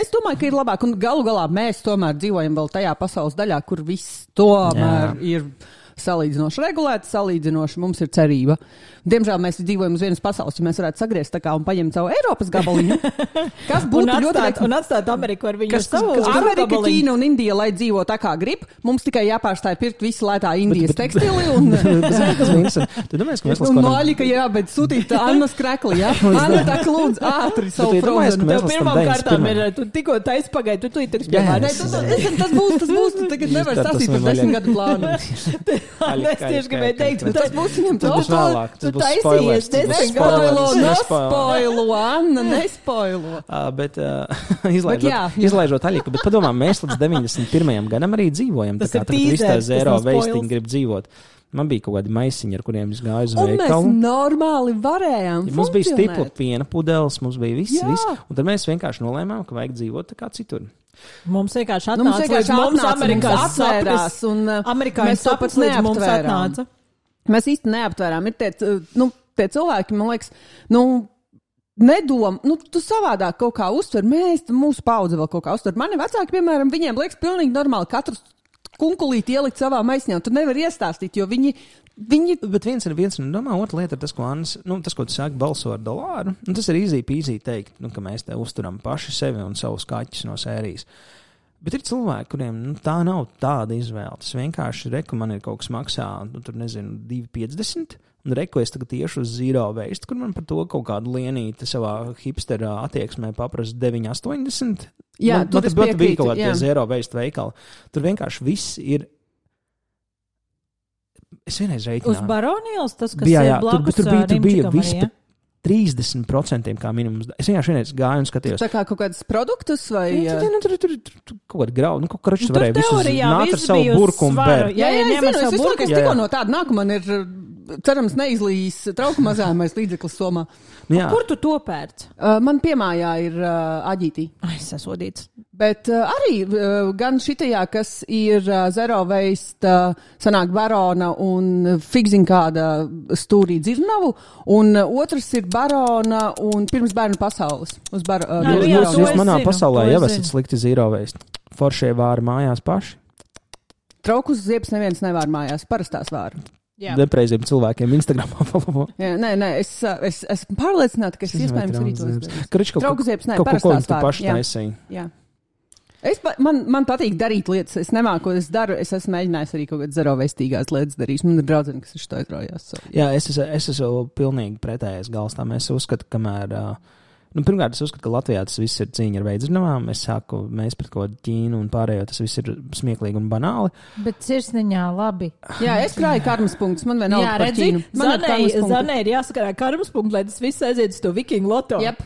Es domāju, ka ir labāk, un galu galā mēs tomēr dzīvojam vēl tajā pasaules daļā, kur viss tomēr ir... salīdzinoši regulēti, salīdzinoši mums ir cerība. Diemžēl mēs dzīvojam uz vienas pasaules, ja mēs varētu sagriezt tā kā un paņemt savu Eiropas gabaliņu. Kas būtu ļoti un atstāt Ameriku ar viņu savu Amerika, Ķīna un Indija, lai dzīvo tā kā grib. Mums tikai jāpārstāj pirkt visu lētā Indijas tekstili un... Tu domājies, ka mēs un Maļika, jā, bet sūtīt Annas krekli, jā? Anna tā lūdzu ātri savu frozenu. Tev pirmām kārtām ir, tu tikko taisa pagaid, tu tiks piemēr. Tas būs, tu tagad nevar stāstīt par 10 gadu plānu. Es tieši gribēju teikt, ka tas būs viņam tu taisījies. Nespoilo, Anna, nespoilo. Bet izlaižot Aļiku, bet padomā, mēs līdz 91. gadam arī dzīvojam. Tā kā viss tā zero veistiņi grib dzīvot. Man bija kaut kādi maisiņi, ar kuriem es gāju uz veikalu. Un mēs normāli varējām funkcionēt. Mums bija stipla piena pudeles, mums bija viss. Un tad mēs vienkārši nolēmām, ka vajag dzīvot tā kā citur. Mums vienkārši atnāca, mums Amerikās saprast, un Amerikāņu saprast līdz mums atnāca. Mēs īsti neaptvērām. Ir tie cilvēki, man liekas, nedom, tu savādāk kaut kā uztver. Mūsu paudze vēl kaut kā uztver. Mani vecāki, piemēram, viņiem liekas pilnīgi normāli katru kunkulīti ielikt savā maisiņā. Tu nevari iestāstīt, jo viņi... Bet viens ir domā, otra lieta ir tas, ko Annas, tas, ko tu sāki balso ar dolāru. Tas ir easy teikt, ka mēs te uzturam paši sevi un savus kaķus no sērijas. Bet ir cilvēki, kuriem tā nav tāda izvēle. Tas vienkārši man ir kaut kas maksā, tur nezinu, 2,50. Un es tagad tieši uz zero waste, kur man par to kaut kādu lienīti savā hipsterā attieksmē paprasa 9,80. Jā, man bija kaut kāda zero waste veikala. Tur vienkārši viss ir. Es vienreiz reiķināju. Uz Baronielas tas, kas ir blakus Rimčikam arī, ja? 30% kā minimums. Es vienreiz gāju un skatījos. Tā kā kaut kādas produktus vai... Tur kaut kāda grauda. Kaut kā račs varēja visus nākt ar savu burku un bēr. Jā, es visu tikko no tāda nāku, man ir, cerams, neizlīs trauku mazājumais līdzeklis somā. Kur tu to pērc? Man piemājā ir aģītī. Es esmu sodīts. Bet arī gan šitajā, kas ir zero waste, sanāk Barona un figzin kāda stūrī dzirnavu, un otrs ir Barona un pirms bērnu pasaules. Jūs manā pasaulē jau esat slikti zero waste. Foršie vāri mājās paši? Traukus ziepes neviens nevār mājās, parastās vāri. Nepreiziem cilvēkiem Instagramā follow. Nē, es esmu pārliecināta, ka es iespējams arī to izdarīju. Trauku ziepes, nē, parastās vāri. Jā. Man patīk darīt lietas, es nemāku, ko es daru, es esmu mēģinājis arī kaut kādas zero veistīgās lietas darīt. Man ir draudzene, kas šo aizraujās. Jā, es esmu pilnīgi pretējais galstām. Es uzskatu, kamēr... pirmkārt, es uzskatu, ka Latvijā tas viss ir cīņa ar veidzirnavām. Mēs pret kaut Ķīnu un pārējo, tas viss ir smieklīgi un banāli. Bet sirsniņā labi. Jā, es krāju karmas punktus, man vienalga par Ķīnu. Zanē ir jāsakarā karmas punktu, lai tas viss aiziet uz to vikingu loto. Yep.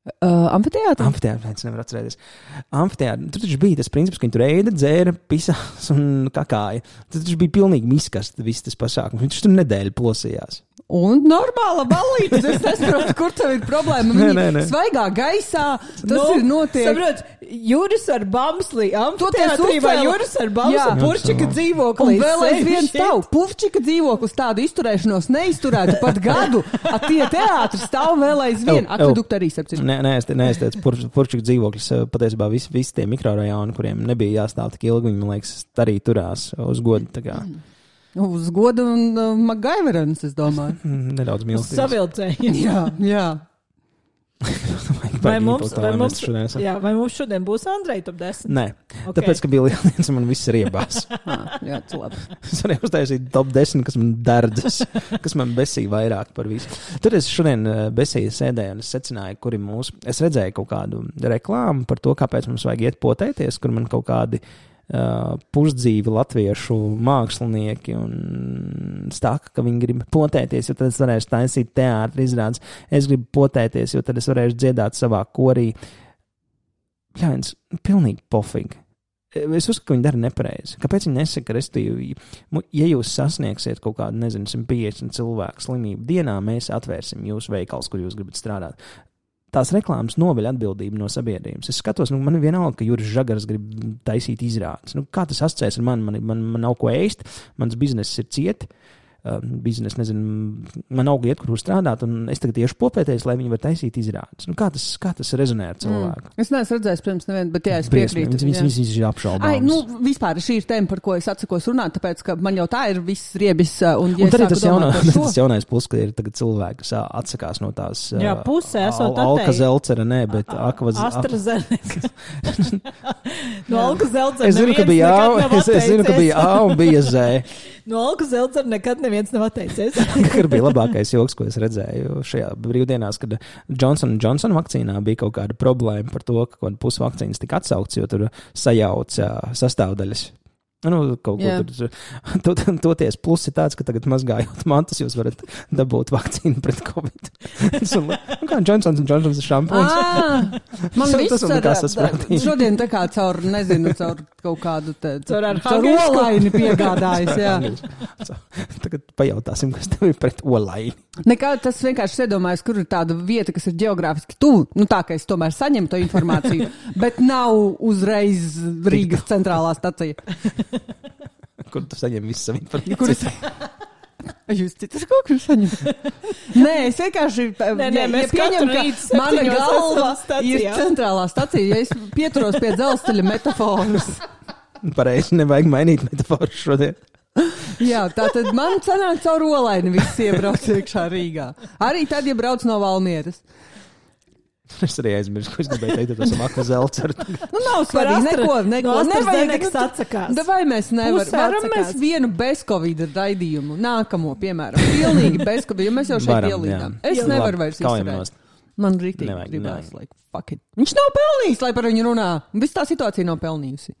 Amfiteātrī? Amfiteātrī, es nevaru atcerēties. Amfiteātrī, tur taču bija tas princips, ka viņi tur ēda, dzēra, pisās un kakāja. Tur taču bija pilnīgi miskast viss tas pasākums. Viņš tur nedēļu plosījās. Un normāla balīte, es nesaprotu, kur tev ir problēma. Viņi svaigā gaisā, tas ir notiek. Saprot, Juris ar Bamslī, amfiteātrī vai Juris ar Bamslī, Purčika dzīvoklī. Un vēl aizvien stāv. Purčika dzīvoklis tādu izturēšanos neizturētu pat gadu. Tie teātri stāv vēl aizvien. Akvedukta arī sepciņi. Nē, es teicu, Purčika dzīvoklis patiesībā visi tie mikrorajoni, kuriem nebija jāstāv tik ilgi, viņi, man liekas, arī turās uz godu. Tā kā. Uz godu un MacGyverens, es domāju. Nedaudz mīlestības. Savilcēji. Jā. Vai mums šodien būs Andreja top 10? Nē, okay. Tāpēc, ka bija lieldiens un man viss ir iebās. Jā, tas labi. Es varēju uztaisīt top 10, kas man derdzas, kas man besīja vairāk par visu. Tur es šodien besīju sēdēju un es secināju, kuri mūsu... Es redzēju kaut kādu reklāmu par to, kāpēc mums vajag iet potēties, kur man kaut kādi pusdzīvi latviešu mākslinieki un stāka, ka viņi grib potēties, jo tad es varēšu taisīt teātri izrādes. Es gribu potēties, jo tad es varēšu dziedāt savā korī. Ļains, pilnīgi pofīgi. Es uzskatu, ka viņi dara nepareizi. Kāpēc viņi nesaka, restīvi, ja jūs sasniegsiet kaut kādu, 150 cilvēku slimību dienā, mēs atvērsim jūsu veikals, kur jūs gribat strādāt. Tās reklāmas noveļ atbildību no sabiedrības. Es skatos, man ir vienalga, ka Juris Žagars grib taisīt izrādes. Kā tas asociēs ar mani? Man nav ko ēst, mans bizness ir cieti. Biznes, nezinu, man auga iet, kur strādāt, un es tagad tieši popēties, lai viņi var taisīt izrādes. Kā tas rezonē ar cilvēku? Es neesmu redzējis pirms nevienu, bet jā, es piekrītu. Viņas ir apšaubāmas. Vispār šī ir tēma, par ko es atsakos runāt, tāpēc, ka man jau tā ir viss riebis. Un tad ir tas jaunais plus, ka ir tagad cilvēki, kas atsakās no tās pusē, esot Alka-Zelcera, ne, bet AstraZeneca. No Alka-Zelcera es zinu, ka bija A un bija Z. No Alka-Zelcera nekad neviens nav atteicies. Kur bija labākais joks, ko es redzēju šajā brīvdienās, kad Johnson vakcīnā bija kaut kāda problēma par to, ka pusi vakcīnas tika atsaukts, jo tur sajauca sastāvdaļas. Kaut ko tur toties plus ir tāds, ka tagad mazgājot mantas, jūs varat dabūt vakcīnu pret Covid. Kā Johnsons šampūns. Man viss šodien tā kā caur kaut kādu caur olaini piegādājas, jā. Tagad pajautāsim, kas tev ir pret olaini. Nekā tas vienkārši iedomājas, kur ir tāda vieta, kas ir ģeogrāfiski tuvu, tā, ka es tomēr saņemu to informāciju, bet nav uzreiz Rīgas centrālā stacija. Kur tu saņem visu savu informāciju? Jūs citur kaut kur saņemat? Nē, es vienkārši pieņemu, ka mana galva ir centrālā stacija, ja es pieturos pie dzelzceļa metaforas. Pareizi, nevajag mainīt metaforu šodien. Jā, tātad man sanāk caur olaini viss iebrauc iekšā Rīgā. Arī tad, ja brauc no Valmieras. Es arī aizmirsu, ko es gribēju teikt, tas ir Alka-Zelcera. Nav svarīgi, neko. Nevajag atsakās. Vai mēs varam mēs vienu bez-covid raidījumu, nākamo, piemēram, pilnīgi bez-covid, jo mēs jau šeit ielīdām. Es nevaru vairs izturēt. Man rītīgi gribās, fuck it. Viņš nav pelnījis, lai par viņu runā. Viss tā situācija nav pelnījusi.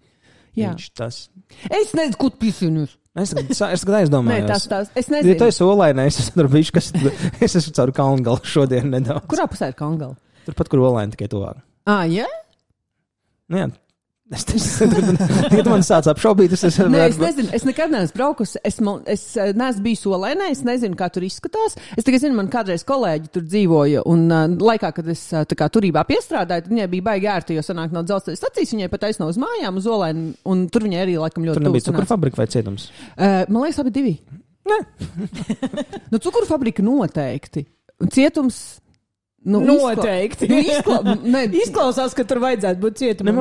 Jā. Es nezinu, kur pisīnus. Es aizdomājos. Nē, es nezinu. Ja tu esi olainē, es esmu caur Kalngalu šodien nedaudz. Kurā pusē ir Kalngala? Turpat, kur olaini tikai tuvāk. Jā? Jā. Ja tu man sāc apšaubīt, es nezinu, es nekad neesmu braukusi, es neesmu bijis olainē, es nezinu, kā tur izskatās. Es tikai zinu, man kādreiz kolēģi tur dzīvoja, un laikā, kad es tā kā turībā piestrādāju, tad viņai bija baigi ērti, jo sanāk no dzelzceļa stacijas, viņai pat aizno uz mājām, uz olaini, un tur viņai arī laikam ļoti tuvu. Tur nebija cukurfabrika vai cietums? Man liekas, abi divi. Nē. Cukurfabrika noteikti. Cietums... Noteikti. Izklausās, ka tur vajadzētu būt cietumam.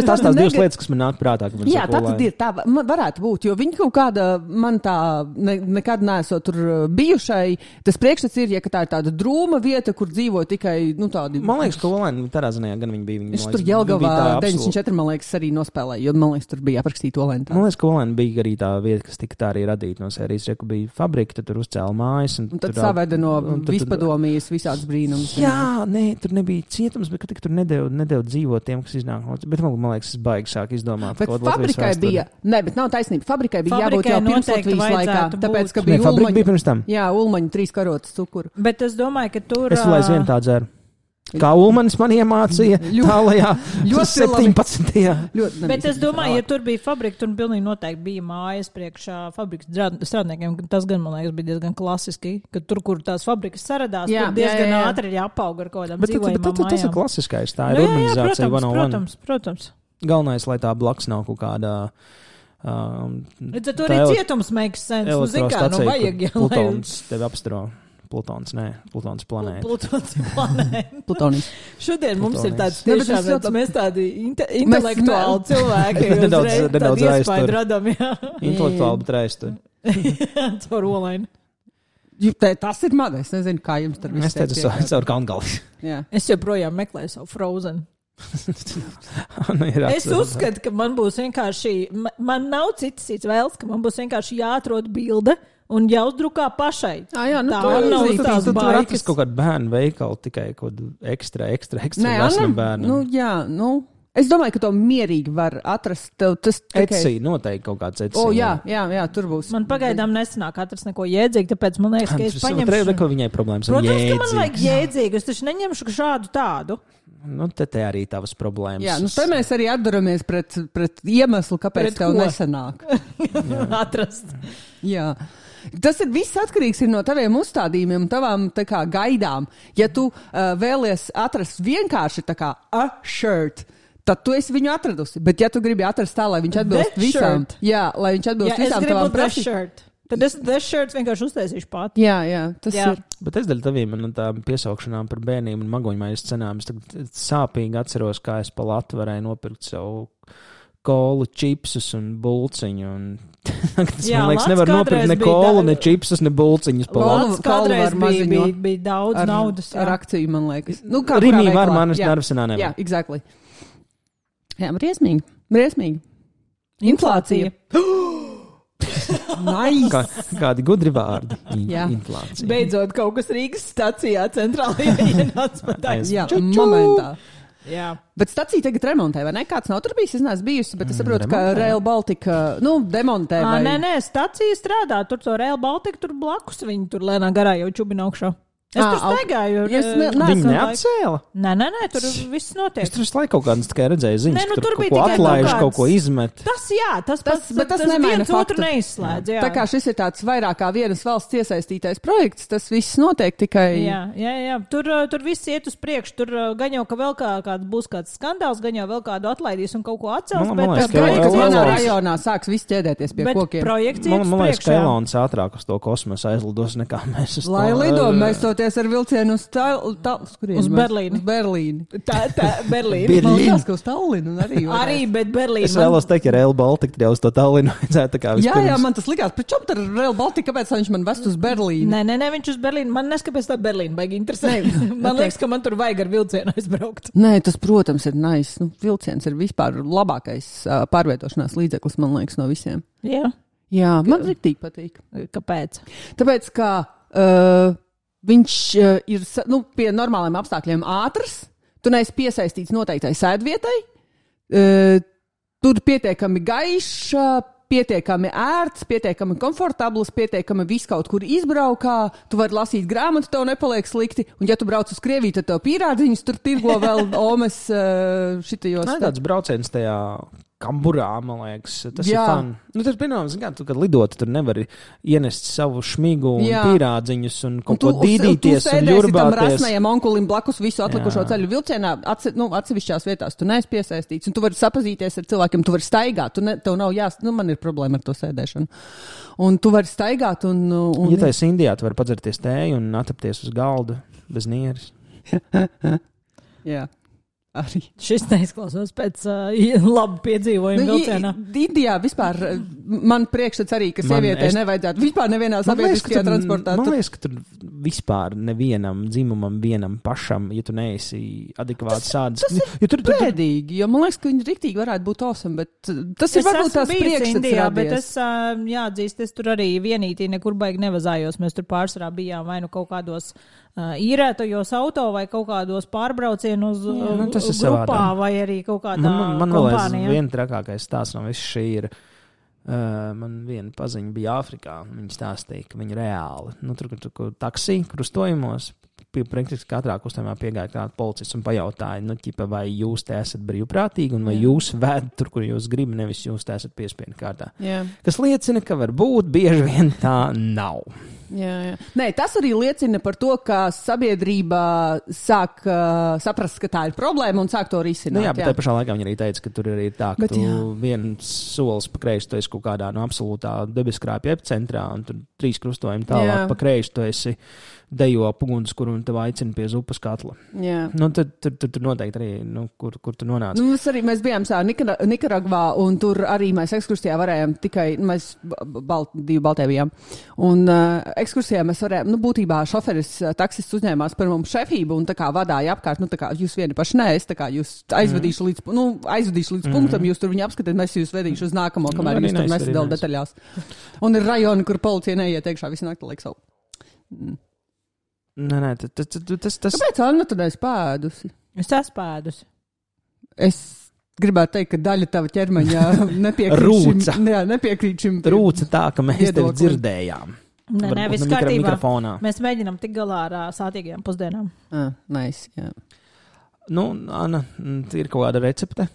Tās divas lietas, kas man nāk prātā. Jā, tā tad ir. Tā varētu būt, jo viņi kaut kāda, man tā nekad neesot tur bijušai. Tas priekšstats ir, ja tā ir tāda drūma vieta, kur dzīvo tikai, tādi... Man liekas, ka olaini tādā ziņā gan viņi bija. Es tur Jelgavā 94, man liekas, arī nospēlēju, jo man liekas, tur bija aprakstīta olaini. Man liekas, ka olaini bija arī tā vieta, kas tika tā arī radīta no sērijas, ja bija fabrika, tad tur uzcēla mājas. Un tad saveda no vispadomijas visādas brīnums. Jā, nē, tur nebija cietums, bet tur nedēļ dzīvot tiem, kas iznāk. Bet man liekas, es baigi sāk izdomāt. Bet fabrikai bija, bet nav taisnība. Fabrikai bija jābūt jau pirms Latvijas laikā. Tāpēc, ka bija fabrika bija pirms tam. Jā, Ulmaņa 3 karotes cukuru. Bet es domāju, ka tur... Es vēl aizvien tā dzeru. Kā Ulmanis man iemācīja tālajā 17. Bet es domāju, ja tur bija fabrika, tur pilnīgi noteikti bija mājas priekšā fabrikas strādniekiem. Tas gan, man liekas, bija diezgan klasiski, ka tur, kur tās fabrikas saradās, tur diezgan ātri jāpauga ar kaut kādām dzīvojumām mājām. Bet tas ir klasiskais, tā ir urbanizācija. Protams. Galvenais, lai tā blakus nav kaut kādā... Redz, tur arī cietums makes sense. Nu, zin kā, nu vajag, ja, Plutons tevi apstaro. Plutons planēta. Plutons planēta. Plutonis. Šodien mums ir tāds tiešām, mēs tādi intelektuāli cilvēki. Nedaudz iespēju radam, jā. Intelektuāli, bet aiztur. Caur olaini. Tas ir man, es nezinu, kā jums tur viss. Es teicu, caur Kalngali. Es joprojām meklēju savu Frozen. Es uzskatu, ka man būs vienkārši, man nav citas vēls, ka man būs vienkārši jāatrod bilde un jāuzdrukā pašai. Jā, nu tā nav tās baigas. Kaut kādu bērnu veikalu tikai kaut ekstra vesnam bērnam. Nu, jā, nu. Es domāju, ka to mierīgi var atrast. Etsy, noteikti kaut kāds Etsy. Jā, tur būs. Man pagaidām nesanāk atrast neko jēdzīgu, tāpēc man liekas, ka es paņemšu. Protams, ka viņai problēmas ar jēdzīgu. Protams, ka man vajag jēdzīgu, es taču neņemšu šādu tādu. Nu, te arī tavas problēmas. Jā, nu te mēs arī atdaramies pret iemeslu, kāpēc tev nesanāk. Atrast. Jā. Tas ir viss atkarīgs no taviem uzstādījumiem un tavām tā kā gaidām. Ja tu vēlies atrast vienkārši tā kā a shirt, tad tu esi viņu atradusi. Bet ja tu gribi atrast tā, lai viņš atbilst visām. Jā, lai viņš atbilst visām tavām prasībām. Tad es shirts vienkārši uztaisīšu pat. Jā, tas ir. Bet es daļu taviem un tām piesaukšanām par bērniem un magoņmaiņas cenām. Es tagad sāpīgi atceros, kā es pa Latu varēju nopirkt savu kolu, čipsus un bulciņu. Un tas, man liekas, nevar nopirkt ne kolu, ne čipsus, ne bulciņus pa Latu. Kādreiz bija daudz naudas. Ar akciju, man liekas. Nu, Rimī var manas nervsenā nevar. Jā, exactly. Jā, briesmīgi. Inflācija. Nice. Kādi gudri vārdi. Inflācija. Beidzot, kaut kas Rīgas stacijā centrālajā ienāca pat taisa. Jā, momentā. Jā. Bet stacija tagad remontē, vai ne? Kāds nav tur bijis? Es neesmu bijusi, bet es saprotu, ka Rail Baltica, demontē. Nē, stacija strādā. Tur to Rail Baltica, tur blakus viņi tur lēnā garā jau čubina augšā. Es tur staigāju. Viņi neatcēla? Nē, tur viss notiek. Es tur visu laiku kaut kādas tikai redzēju ziņas, ka tur kaut ko atlaiž, kaut ko izmet. Tas viens otru neizslēdz. Jā. Tā kā šis ir tāds vairāk kā vienas valsts iesaistītais projekts, tas viss notiek tikai... Jā. Tur viss iet uz priekšu. Tur gan jau, ka vēl būs kāds skandāls, gan jau vēl kādu atlaidīs un kaut ko atcels. Bet projekts vienā rajonā sāks viss ķēdēties pie kokiem. Projekts iet uz priekšu. Man liekas, ka Elons ātrāk uz to kosmosu aizlidos nekā mēs uz to. Lai lido, mēs ar vilcienu uz Berlīni. Berlīni. Man liekas, ka uz Tallinu arī, bet Berlīni. Es vēlos teikt, ja Rail Baltica jau uz to Tallinu vajadzētu tā kā vispirms. Jā, man tas likās, pēc čom ar Rail Baltica, kāpēc viņš man vest uz Berlīni? Nē, viņš uz Berlīni. Man neskapēc tā Berlīni baigi interesē. Man liekas, ka man tur vajag ar vilcienu aizbraukt. Nē, tas, protams, ir nice. Vilciens ir vispār labākais pārvietošanās līdzeklis, man liekas, no visiem. Jā, man riktīgi patīk. Kāpēc? Tāpēc, ka viņš ir pie normāliem apstākļiem ātrs, tu neesi piesaistīts noteiktai sēdvietai, tur pietiekami gaišs, pietiekami ērts, pietiekami komfortabls, pietiekami viss kaut kur izbraukā, tu vari lasīt grāmatu, tev nepaliek slikti, un ja tu brauc uz Krieviju, tad tev pīrādziņus tur tirgo vēl omes šitajos. Nē, tāds brauciens tajā Kamburā, man liekas, tas ir fun. Tas, piemēram, tu, kad lidot, tur nevari ienest savu šmigu un pīrādziņus un kaut ko dīdīties un jurbāties. Tu sēdēsi tam rasnajam onkulim blakus visu atlikušo ceļu vilcienā, atsevišķās vietās tu neesi piesaistīts, un tu vari sapazīties ar cilvēkiem, tu vari staigāt, tev nav man ir problēma ar to sēdēšanu. Un tu vari staigāt un ja tais Indijā, tu vari padzerties tēju un atapties uz galdu bez nieres. Jā. Arī. Šis neizklausās pēc labu piedzīvojumu vilcienā. Indijā vispār man priekšstats arī, ka sievietē nevajadzētu vispār nevienā sabiedriskajā transportā. Man liekas, ka tur vispār nevienam dzimumam, vienam pašam, ja tu neesi adekvāti sāds. Tas ir bēdīgi, jo man liekas, ka viņi riktīgi varētu būt awesome, bet tas ir varbūt tās priekšstats radies. Bet es jāatzīst, es tur arī vienītī nekur baigi nevazājos. Mēs tur pārsvarā bijām vai nu kaut kādos īrētajos auto vai kaut kādos pārbraucienos grupā vai arī kaut kādā kompānijā. Man vēl viena trakākais stāsts no viss šī ir. Man viena paziņa bija Āfrikā. Viņa stāstīja, ka viņa reāli, tur taksī, krustojumos, praktiski katrā kustībā piegāja kāda policists un pajautāja, nu, ķipa, vai jūs te esat brīvprātīgi un vai jūs ved tur, kur jūs gribat, nevis jūs te esat piespiedu kārtā. Jā. Kas liecina, ka varbūt bieži vien tā nav. Jā. Nē, tas arī liecina par to, ka sabiedrība sāk saprast, ka tā ir problēma un sāk to risināt. Nu jā, bet tajā pašā laikā viņi arī teica, ka tur arī ir tā, ka viens solis pa kreisi, tu esi kaut kādā absolūtā debeskrāpja epicentrā, un tur 3 krustojumi tālāk pa kreisi, tu esi dejo pugunskuru un tev aicina pie zupas katla. Jā. Nu, tur noteikti arī, nu, kur tu nonāc. Nu, mēs bijām Nikaragvā, un tur arī mēs ekskursijā varējām tikai, mēs 2 Baltē bijām. Un ekskursijā mēs varējām, nu, būtībā šoferis, taksists uzņēmās par mums šefību un tā kā vadāja apkārt, nu, tā kā jūs vieni paši neesat, tā kā jūs aizvedīšu līdz punktam, jūs tur viņu apskatāt, mēs jūs vedīšu uz nākamo, kamēr jūs tur nesadala detaļās. Un ir rajoni, kur policija neiet iekšā visu nakti liek savu. Nē, tas... Kāpēc Anna tu neesi pēdusi? Es esmu pēdusi. Es gribētu teikt, ka daļa tava ķermeņa nepiekrīt šim. Rūca tā, ka mēs tevi dzirdējām. Nē, viss kārtībā. Mēs mēģinām tik galā ar sātīgajām pusdienām. Nice, jā. Nu, Anna, ir kaut kāda recepte?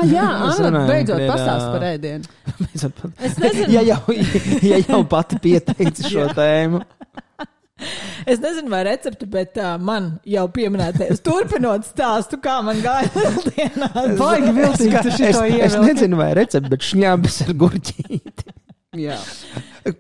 Jā, Anna, beidzot pastāst par ēdienu. Es nezinu. Ja jau pati pieteici šo tēmu. Es nezinu, vai recepti, bet man jau pieminēties turpinot stāstu, kā man gāja lieldienās. Baigi viltīgi, tu šito ievilki. Es nezinu, vai recepti, bet šņābis ar gurķīti. Jā.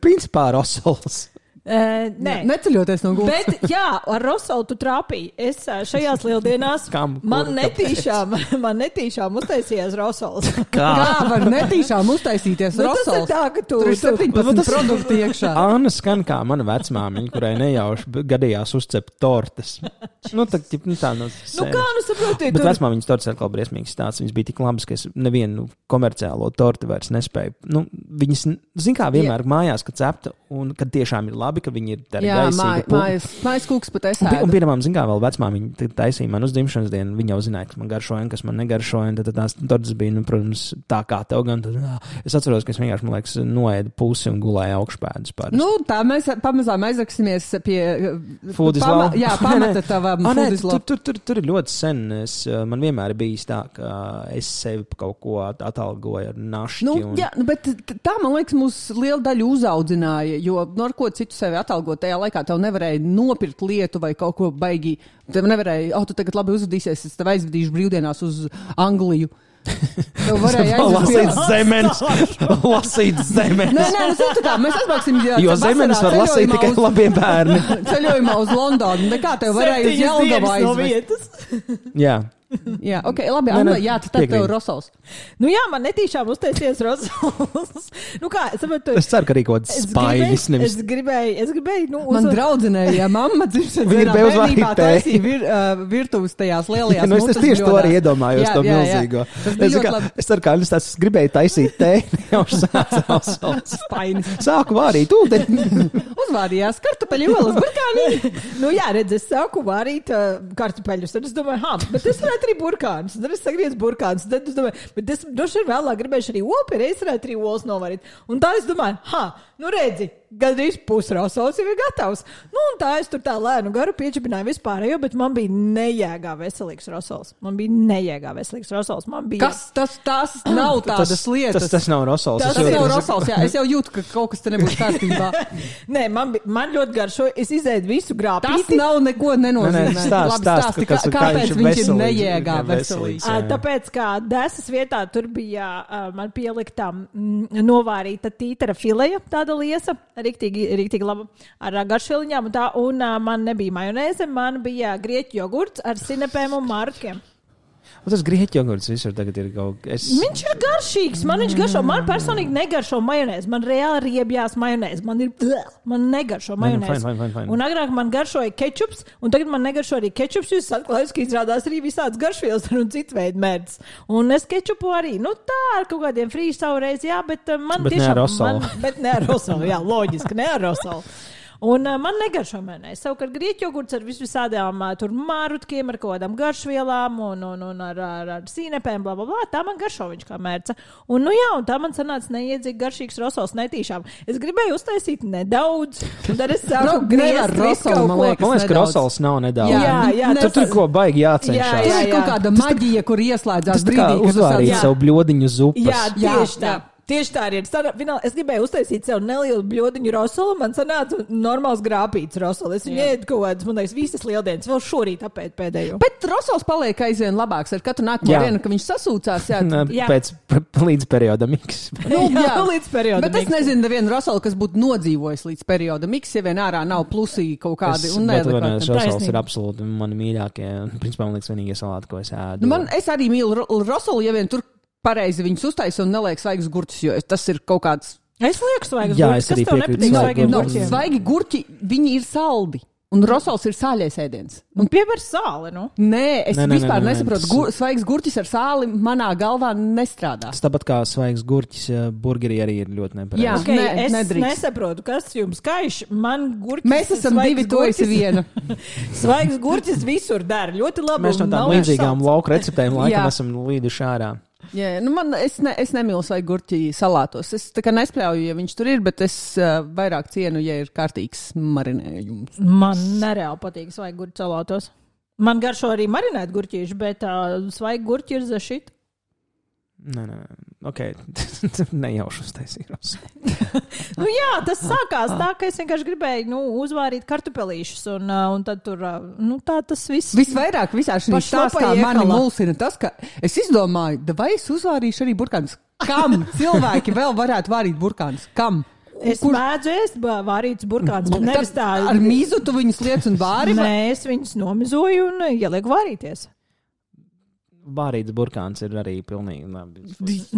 Principā rosols. Nē, neceļoties no gultas. Bet, jā, ar rosolu tu trāpīji. Es šajās lieldienās man netīšām uztaisījās rosols. Kā var netīšām uztaisīties rosols? Tas ir tā, ka tur ir 17 produkti iekšā. Anna skan kā mana vecmāmiņa, kurai nejauši gadījās uzcept tortes. Nu, tā no nu, kā nu saprotiet? Bet vecmāmiņas tortes atkal briesmīgs stāsts. Viņas bija tik labas, ka es nevienu komerciālo torti vairs nespēju. Nu, viņas, zin kā, vienmēr mājās, kad cepta un kad tiešām ir labi, ka viņi ir tādi gaisīgi. Mājas kūks pat es ēdu. Un piemēram, zin kā, vēl vecmāmiņa taisīja man uz dzimšanas dienu, viņa jau zināja, kas man garšoja un kas man negaršoja, un tad tās tortas bija, nu, protams, tā kā tev gan. Tad, es atceros, ka es vienkārši, man liekas, noēdu pusi un gulēju augšpēdus pāris. Nu, tā mēs pamazām aizraksimies pie Food is love. Jā, pamata tavam food is love. Tur ir ļoti sen. Man vienmēr ir bijis tā, ka es sevi kaut ko atalgoju ar našķi. Nu, jā, bet tā, man liekas, mūs liela daļa uzaudzināja, jo ar ko citu sevi atalgot, tajā laikā tev nevarēja nopirkt lietu vai kaut ko baigi. Tev nevarēja, tu tagad labi uzvedīsies, es tev aizvedīšu brīvdienās uz Angliju. Tev varēja lasīt zemenes. Nē, zinu kā, mēs atbraucsim. Jo zemenes var lasīt tikai labie bērni. Ceļojumā uz Londonu. Nekā tev varēja uz Jelgavā aizvest. Jā. Jā, ok, labi, Anna, jā, tad tev rosols. Nu jā, man netīšām uztaisies rosols. Nu kā, saprotu. Es ceru, ka arī kaut kāds spainis. Es gribēju, nu, man draudzenēja mamma dzimšanas dienā bērnībā taisīja virtuves tajās lielajās nu, es tieši to arī iedomājos, to milzīgo. Es ceru, ka es gribēju taisīt tēni, jau sāca rosols. Spainis. Sāku vārīt ūdeni. Uzvārījās kartupeļu olas burkānī. Nu jā, redz, es sāku vārīt kartupeļus, tad es domāju, bet es arī burkānus, tad es sagriedzu burkānus, tad es domāju, bet es droši vien vēlāk gribēšu arī opi, es varētu arī olas novarīt. Un tā es domāju, nu redzi, gandrīz pusrosols jau ir gatavs. Nu, un tā es tur tā lēnu garu piečipināju vispārējo, bet man bija nejēgā veselīgs rosols. Man bija... Kas? Tas nav tādas lietas. Tas nav rosols. Tas nav rosols, jā. Es jau jūtu, ka kaut kas te nebūs kārtībā. Nē, man ļoti garšo, es izēdu visu grāpīti. Tas nav neko nenozīmē. Stāsti, kāpēc viņš ir nejēgā veselīgs. Tāpēc, kā desas vietā tur bija man pieliktā novārīta tītara fileja, tāda liesa, riktīgi laba ar garšvieliņām un tā, un man nebija majonēze, man bija grieķu jogurts ar sinepēm un markiem. Un tas grieķu jogurts visur tagad ir kaut kas. Viņš ir garšīgs, man viņš garšo, man personīgi negaršo majonēzi, man reāli riebjās majonēzi, man negaršo majonēzi. Fine. Un agrāk man garšoja kečups, un tagad man negaršo arī kečups, jūs atklājat, ka izrādās arī visāds garšvielas un citu veidu mērķis. Un es kečupu arī, nu tā ar kaut kādiem frīz savu reizi, jā, bet man bet tiešām... Ne ar rosolu. Bet ne ar rosolu, jā, loģiski, ne ar rosolu. Un man negaršo majonēzi. Savukārt grieķu jogurts ar visādām tur mārutkiem, ar kaut kādām garšvielām un ar sīnepēm, bla, bla, bla. Tā man garšo viņš kā mērca. Un, un tā man sanāca neiedzīgi garšīgs rosols netīšām. Es gribēju uztaisīt nedaudz, un tad es sāku griezt rosols. Man liekas, ka rosols nav nedaudz. Jā, tur ko baigi jācenšas. Tur ir kaut kāda maģija, kur ieslēdzās brīdī. Tas kā uzvārīt savu bļodiņu zupas. Jā, tieši tā. Tieši tā arī ir. Es gribēju uztaisīt sev nelielu bļodiņu rosolu, man sanāca normāls grāpīts rosolu. Es viņu ēdu kaut kādas, man liekas, visas lieldienas, vēl šorīt apēt pēdējo. Bet rosols paliek aizvien labāks ar katru nākamo dienu, ka viņš sasūcās. Pēc līdz periodam X. Līdz periodam Bet es nezinu nevienu rosolu, kas būtu nodzīvojis līdz periodam X, ja vien ārā nav plusī kaut kādi. Bet rosols ir absolūti mani mīļākie. Principā, man liekas, vienīgie salāti, ko es ēdu. Es arī mīlu rosolu, ja vien tur pareizi viņus uztaisa un neliek svaigus gurķus, jo tas ir kaut kāds... Es lieku svaigus gurķus, kas tev nepatīk svaigiem gurķiem? Svaigi gurķi, viņi ir saldi. Un rosols ir sāļais ēdiens. Un pievēr sāli, nu? Nē, es vispār nesaprotu. Svaigs gurķis ar sāli manā galvā nestrādā. Tas tāpat kā svaigs gurķis burgerī arī ir ļoti nepareizi. Jā, es nedrīkst. Nesaprotu, kas jums kaiš. Man gurķis... Mēs esam divi, tu esi viena. Svaigs gurķis visur dara. Ļoti labi. Mēs no tām līdzīgām lauku receptēm laikam esam līduši ārā. Jā, es nemīlu svaigu gurķi salātos. Es tā kā nespļauju, ja viņš tur ir, bet es vairāk cienu, ja ir kārtīgs marinējums. Man nereāli patīk svaigu gurķi salātos. Man garšo arī marinēt gurķīši, bet svaigu gurķi ir zašit. Nē, ok, nejauši uztaisījos. Jā, tas sākās tā, ka es vienkārši gribēju uzvārīt kartupelīšus, un tad tur, tā tas viss. Visvairāk visā šī stāstā mani mulsina tas, ka es izdomāju, vai es uzvārīšu arī burkānus. Kam cilvēki vēl varētu vārīt burkānus? Kam? Es mēdzu ēst vārītus burkānus, bet nevis tā. Ar mizu tu viņus liec un vāri? Nē, es viņus nomizoju un ielieku vārīties. Vārīts burkāns ir arī pilnīgi labi.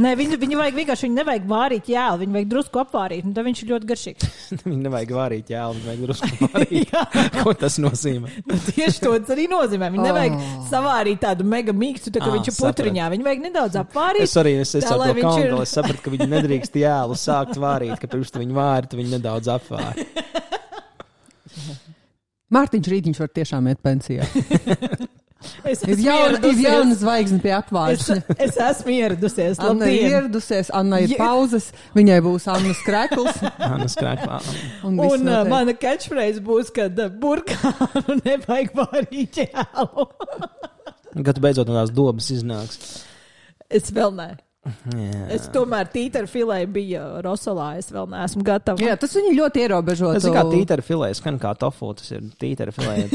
Nē, viņi vajag vienkārši, viņi nevajag vārīt jēlu, viņi vajag drusku apvārīt, un tad viņš ir ļoti garšīgs. Viņi nevajag vārīt jēlu, viņi vajag drusku apvārīt. Ko tas nozīmē? Tieši to tas arī nozīmē. Viņi nevajag savārīt tādu mega mīkstu, tā kā viņš ir putriņā. Viņi vajag nedaudz apvārīt. Es arī ar to kaunu, es sapratu, ka viņi nedrīkst jēlu sākt vārīt, ka pirms tu viņu vāri, tu viņu nedaudz apvāri. Mārtiņš Rītiņš var tiešām iet pensijā. Ir jauna zvaigzne pie apvāršņa. Es esmu ieradusies. Anna ir ieradusies, Anna ir pauzes, viņai būs Annas krekls. Annas kreklā. Un mana catchphrase būs, kad burkānu nevajag vārīt jēlu. Kad tu beidzot no tās dobas iznāks. Es vēl ne. Jā. Es tomēr tītaru filē bija rosolā, es vēl neesmu gatava. Jā, tas viņi ļoti ierobežo. Tas ir kā tītaru filē, skan kā tofu, tas ir tītaru filē.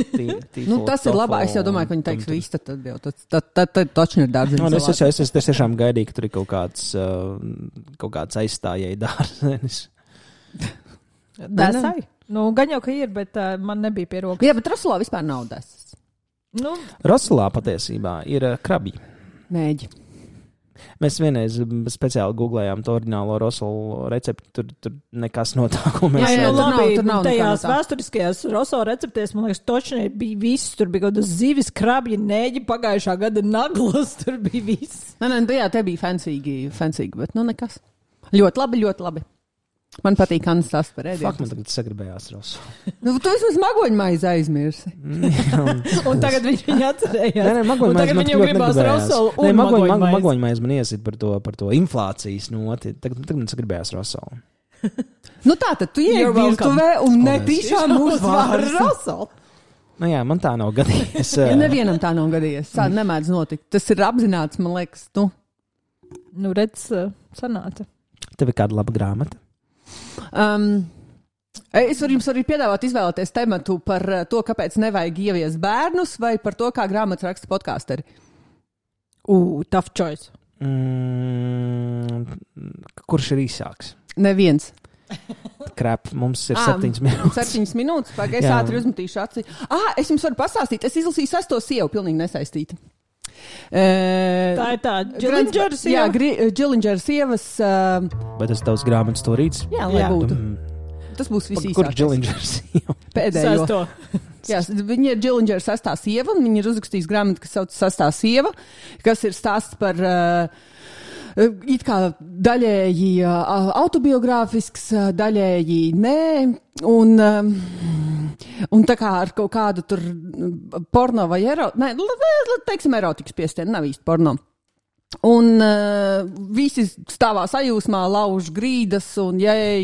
Tas ir labāk, es jau domāju, ka viņi teiks viss, tad jau tad točni ir dārziņš. Es tiešām gaidīju, ka tur ir kaut kāds aizstājēji dārzenis. Desai? Gan jau, ka ir, bet man nebija pie rokas. Jā, bet rosolā vispār nav desas. Rosolā patiesībā ir krabji. Mēģi. Mēs vienreiz speciāli googlējām to oriģinālo rosolu recepti, tur nekas no tā, ko mēs labi, tur nav tajās vēsturiskajās rosolu receptēs, man liekas, točnē bija viss, tur bija kaut kādas zivis, krabji, nēģi, pagājušā gada naglas, tur bija viss. Jā, te bija fancīgi, bet nekas. Ļoti labi, ļoti labi. Man patīk Annas stāsts par ēdienu. Fakt, man tagad sagribējās rosolu. Tu esi magoņu maizi aizmirsi. Un tagad viņš atcerējās. Nē, magoņu maizi man ļoti negribējās. Nē, magoņu maizi man iesit par to inflācijas noti. Tagad man sagribējās rosolu. Tātad tu iej virtuvē un netīšām uzvāri rosolu. Jā, man tā nav gadījies. Nevienam tā nav gadījies. Tā nemēdz notikt. Tas ir apzināts, man liekas, redz, sanāca. Tev ir kāda laba grāmata? Es varu jums arī piedāvāt izvēlēties tematu par to, kāpēc nevajag ieviest bērnus, vai par to, kā grāmatas raksta podkāsteri. Tough choice. Kurš ir īsāks? Neviens. Krap, mums ir 7 minūtes. 7 minūtes, pagaidzi ātri uzmetīšu aci. Es jums varu pastāstīt, es izlasīju 6. sievu, pilnīgi nesaistīta. Tā ir tā Džilindžera sieva. Jā, Džilindžera sievas. Vai tas tavs grāmatas storīts? Jā, lai būtu. Tas būs visīsākais. Kurš Džilindžera sieva? Pēdējo. Jā, viņa ir Džilindžera 6. sieva, un viņa ir uzrakstījis grāmatu, kas sauc 6. sieva, kas ir stāsts par it kā daļēji autobiogrāfisks, daļēji nē, un tā kā ar kaut kādu tur porno vai teiksim erotikas piestienu, nav īsti porno. Un visi stāvā sajūsmā, lauž grīdas, un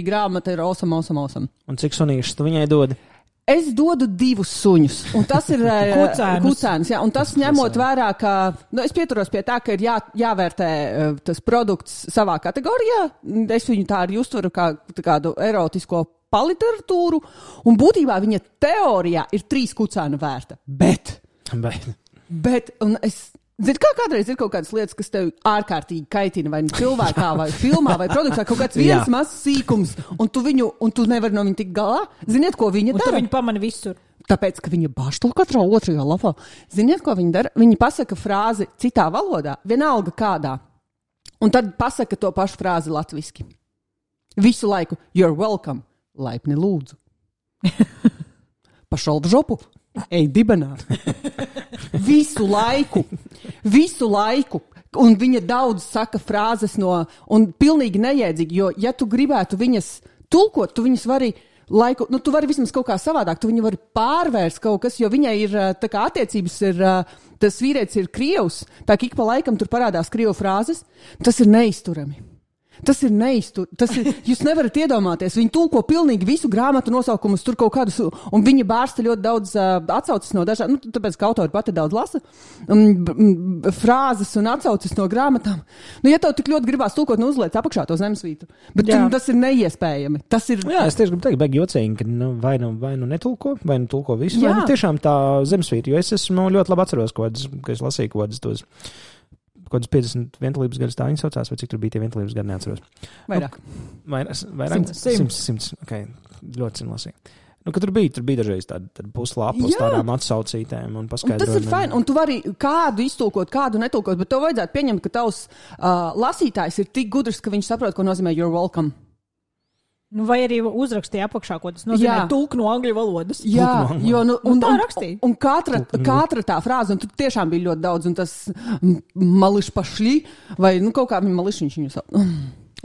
grāmata ir awesome. Un cik sunīšas tu viņai dodi? Es dodu 2 suņus, un tas ir kucēns, un tas ņemot vērā, ka, es pieturos pie tā, ka ir jāvērtē tas produkts savā kategorijā, es viņu tā arī uztveru kā kādu erotisko paliteratūru, un būtībā viņa teorijā ir 3 kucēnu vērta, bet, un es, zini, kā kādreiz ir kaut kādas lietas, kas tev ārkārtīgi kaitina, vai cilvēkā, vai filmā, vai produktā, kaut kāds viens mazs sīkums, un tu nevari no viņa tikt galā. Ziniet, ko viņa dara? Un tu viņu pamani visur. Tāpēc, ka viņa bāž to katrā otrajā lapā. Ziniet, ko viņa dara? Viņa pasaka frāzi citā valodā, vienalga kādā, un tad pasaka to pašu frāzi latviski. Visu laiku, you're welcome, laipni lūdzu. Pašalb žopu, ej dibenā. Visu laiku. Un viņa daudz saka frāzes un pilnīgi neiedzīgi, jo, ja tu gribētu viņas tulkot, tu viņas vari tu vari vismaz kaut kā savādāk, tu viņu vari pārvērst kaut kas, jo viņai ir, tā kā attiecības ir, tas vīrietis ir krievs, tā ka ik pa laikam tur parādās krievu frāzes, tas ir neizturami. Jūs nevarat iedomāties, viņi tulko pilnīgi visu grāmatu nosaukumus, tur kaut kādus, un viņi bārsta ļoti daudz atsaucis no dažādiem, tāpēc, ka autori pati daudz lasa, frāzes un atsaucis no grāmatām. Ja tev tik ļoti gribās tulkot, uzliec apakšā to zemesvītu, bet tas ir neiespējami. Jā, es tieši gribu teikt, bēg jocīgi, ka vai nu netulko, vai nu tulko visu, vai nu tiešām tā zemesvīta, jo es esmu ļoti labi atceros, ka es lasīju kaut kādas 50 vientulības gadus tā viņi saucās, vai cik tur bija tie vientulības gadi, neatceros. Vairāk. 100. Ok, ļoti sen lasīju. Ka tur bija dažreiz tāda puslāpos tādām atsaucītēm un paskaidrojumiem. Tas ir fajn, un tu vari kādu iztulkot, kādu netulkot, bet tev vajadzētu pieņemt, ka tavs lasītājs ir tik gudrs, ka viņš saprot, ko nozīmē you're welcome. Vai arī uzrakstīja apakšā, ko tas nozīmē tulk no angļu valodas. Jā, jo, tā rakstīja. Un katra tā frāze, un tur tiešām bija ļoti daudz, un tas mališ pašļi, vai kaut kā viņa mališiņš viņu sauc.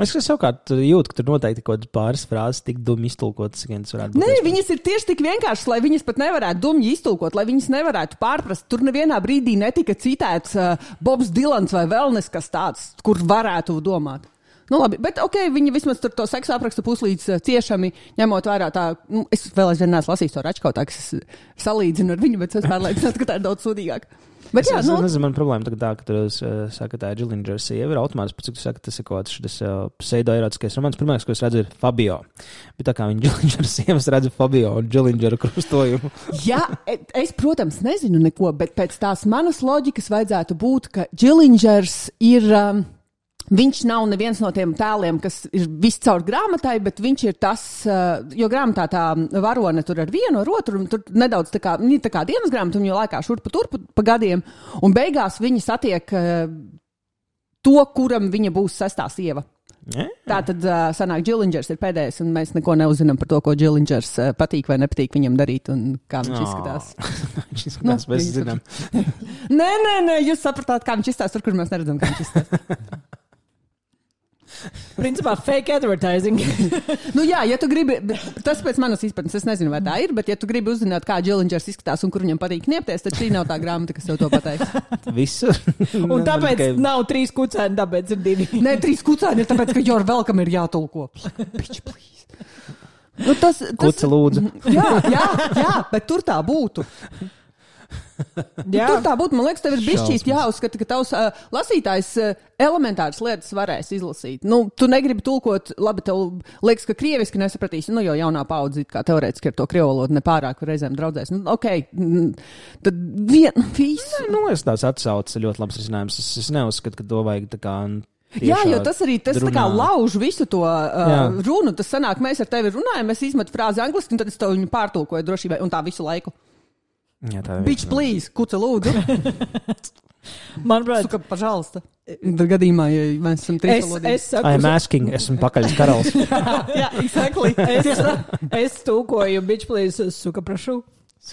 Es savukārt jūtu, ka tur noteikti kaut kādas pāris frāzes tik dumji iztulkotas, ka tas varētu būt. Nē, viņas ir tieši tik vienkāršas, lai viņas pat nevarētu dumji iztulkot, lai viņas nevarētu pārprast. Tur nevienā brīdī netika citēts Bobs Dilans vai vēlnes kas tāds, kur varētu domāt. Labi, bet viņi vismaz tur to seksu apraksta puslīdz ciešami, ņemot vērā tā, es vēl aizvien neesmu lasījis to Račkautā, kas es salīdzinu ar viņu, bet es pārliecināts, ka tā ir daudz sūdīgāk. Bet es nezinu, man problēma tā, ka tu saka, tā ir Gillinger sieva, ir automātis, pēc cik tu saka, tas ir kaut kāds šis pseidoerotiskais romans. Pirmais, ko es redzu, ir Fabio. Bet tā kā viņa Gillinger sievas redzu Fabio un Gillinger krustojumu. Jā, es, protams, nezinu neko, bet pēc tās manas loģikas vajadzētu būt, ka Gillingers ir... Viņš nav neviens no tiem tēliem, kas ir viscaur grāmatai, bet viņš ir tas, jo grāmatā tā varone tur ar vienu, ar otru, un tur nedaudz tā kā dienas grāmata, un jau laikā šurpa turpa pa gadiem, un beigās viņa satiek to, kuram viņa būs sestā sieva. Tā tad sanāk, Gillingers ir pēdējais, un mēs neko neuzinām par to, ko Gillingers patīk vai nepatīk viņam darīt, un kā viņš izskatās. Viņš izskatās, mēs zinām. Nē, jūs sapratāt, kā viņš izskatās, tur, kur mēs neredzam, kā viņš izskatās. Principā fake advertising. Jā, ja tu gribi, tas pēc manas izpratnes, es nezinu, vai tā ir, bet ja tu gribi uzzināt, kā Gillingers izskatās un kur viņam patīk kniepties, tad šī nav tā grāmata, kas tev to pateiks. Visu. Un tāpēc nav 3 kucēni, tāpēc ir 2. Nē, 3 kucēni ir tāpēc, ka you're welcome ir jātulko. Bitch, please. Kuca lūdzu. Jā, bet tur tā būtu. Tur tā būtu, man liekas, tev ir bišķīt jāuzskata, ka tavs lasītājs elementāras lietas varēs izlasīt. Tu negribi tulkot, labi, tev liekas, ka krieviski nesapratīsi, jo jaunā paudze, kā teorētiski ar to krievu valodu nepārāk reizēm draudzēs. Tad visu. Es tās atsaucu ļoti labs risinājums. Es neuzskatu, ka to vajag tā kā... Jā, jo tas arī tā kā lauž visu to runu. Tas sanāk, mēs ar tevi runājam, es izmetu frāzi angliski, un tad es tev viņu pārtulkoju drošībai, un tā visu laiku. Jā, Bitch, please, kuca lūdzu. Manuprāt, suka, pažalsta. Gadījumā, ja mēs esam trīsalodīgi. I'm asking, esmu pakaļas karalis. Jā, exactly. Es tulkoju, bitch, please, suka, prašu.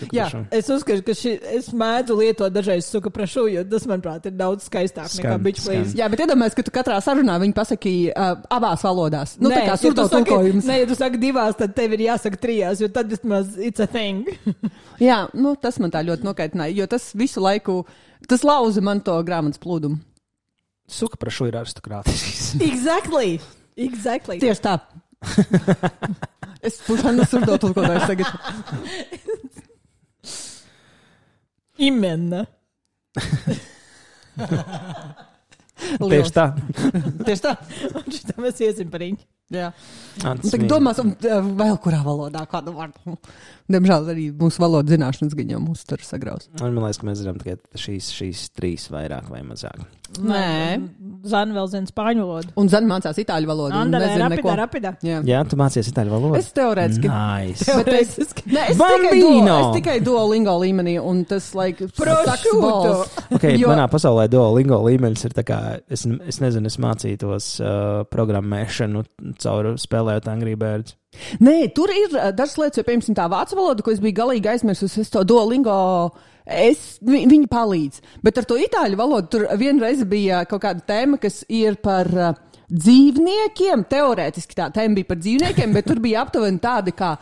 Jā, es uzskatu, ka es mēdzu lietot dažreiz suka prašu, jo tas, manuprāt, ir daudz skaistāk nekā bitch please. Jā, bet iedomājies, ka tu katrā sarunā viņi pasaki abās valodās. Nu, tā kā surdo tulkojums. Nē, ja tu saki 2, tad tev ir jāsaka 3, jo tad vismaz it's a thing. Jā, nu, tas man tā ļoti nokaitināja, jo tas visu laiku, tas lauza man to grāmatas plūdumu. Suka prašu ir aristokrātisks. Exactly. Tieši tā. Es pušanu surdo tulkotājs tagad. Imena. Tieši tā. Un šitā mēs iesim par viņu. Jā. Tagad domāsim vēl kurā valodā kādu vārdu. Diemžēl arī mūsu valodas zināšanas gan jau mūs tur sagraus. Man liekas, ka mēs zinām tikai šīs 3 vairāk vai mazāk. Nē. Zana vēl zina spāņu valodu. Un Zana mācās itāļu valodu. Andalē, rapidā. Jā, tu mācies itāļu valodu? Es teorētiski. Nice. Es tikai Duolingo līmenī, un tas, Prosciutto. Manā pasaulē Duolingo līmenis ir tā kā, es nezinu, es mācītos programmēšanu caur spēlējot Angry Birds. Nē, tur ir dažas lietas, jo, piemēram, tā vācu valoda, ko es biju galīgi aizmirsus, es to Duolingo, viņi palīdz. Bet ar to itāļu valodu tur vienreiz bija kaut kāda tēma, kas ir par dzīvniekiem. Teorētiski tā tēma bija par dzīvniekiem, bet tur bija aptuveni tādi kā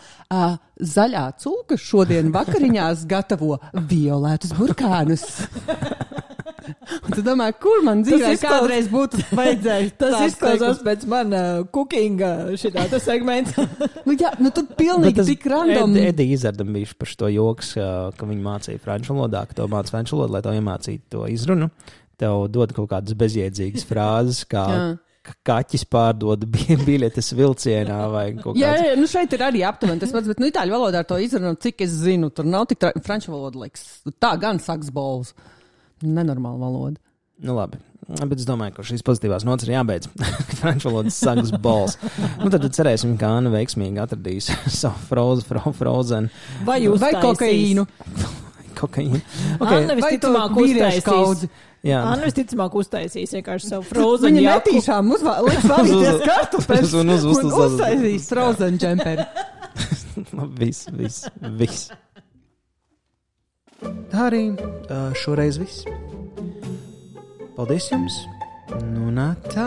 zaļā cūka šodien vakariņās gatavo violētus burkānus. Un tu domā, kur man dzīvē kādreiz būtu vajadzējis? Tas izklausās pēc man cookinga šitā tas segments. Tu pilnīgi tik random. Edija Izardam bija par šo joks, ka viņi mācīja franču valodā, ka to māca franču valodu, lai to iemācītu to izrunu. Tev dod kaut kādas bezjēdzīgas frāzes, kā kaķis pārdod biļetes vilcienā vai kaut kāds. Jā, šeit ir arī aptuveni tas pats, bet itāļu valodā ar to izrunu, cik es zinu, tur nav tik franču valoda, liekas. Tā gan saks balvs. Nenormāla valoda. Nu labi, bet es domāju, ka šīs pozitīvās nots ir jābeidz. Franču valodas sagas balss. Tad cerēsim, ka Anna veiksmīgi atradīs savu Frozen. Vai kokaīnu. Kokaīnu. Anna visticamāk uztaisīs. Anna visticamāk uztaisīs vienkārši savu Frozen jaku. Viņa netīšām liks valīties kartupes un uztaisīs Frozen džemperi. Viss. Tā arī šoreiz viss. Paldies jums! Nu, tā.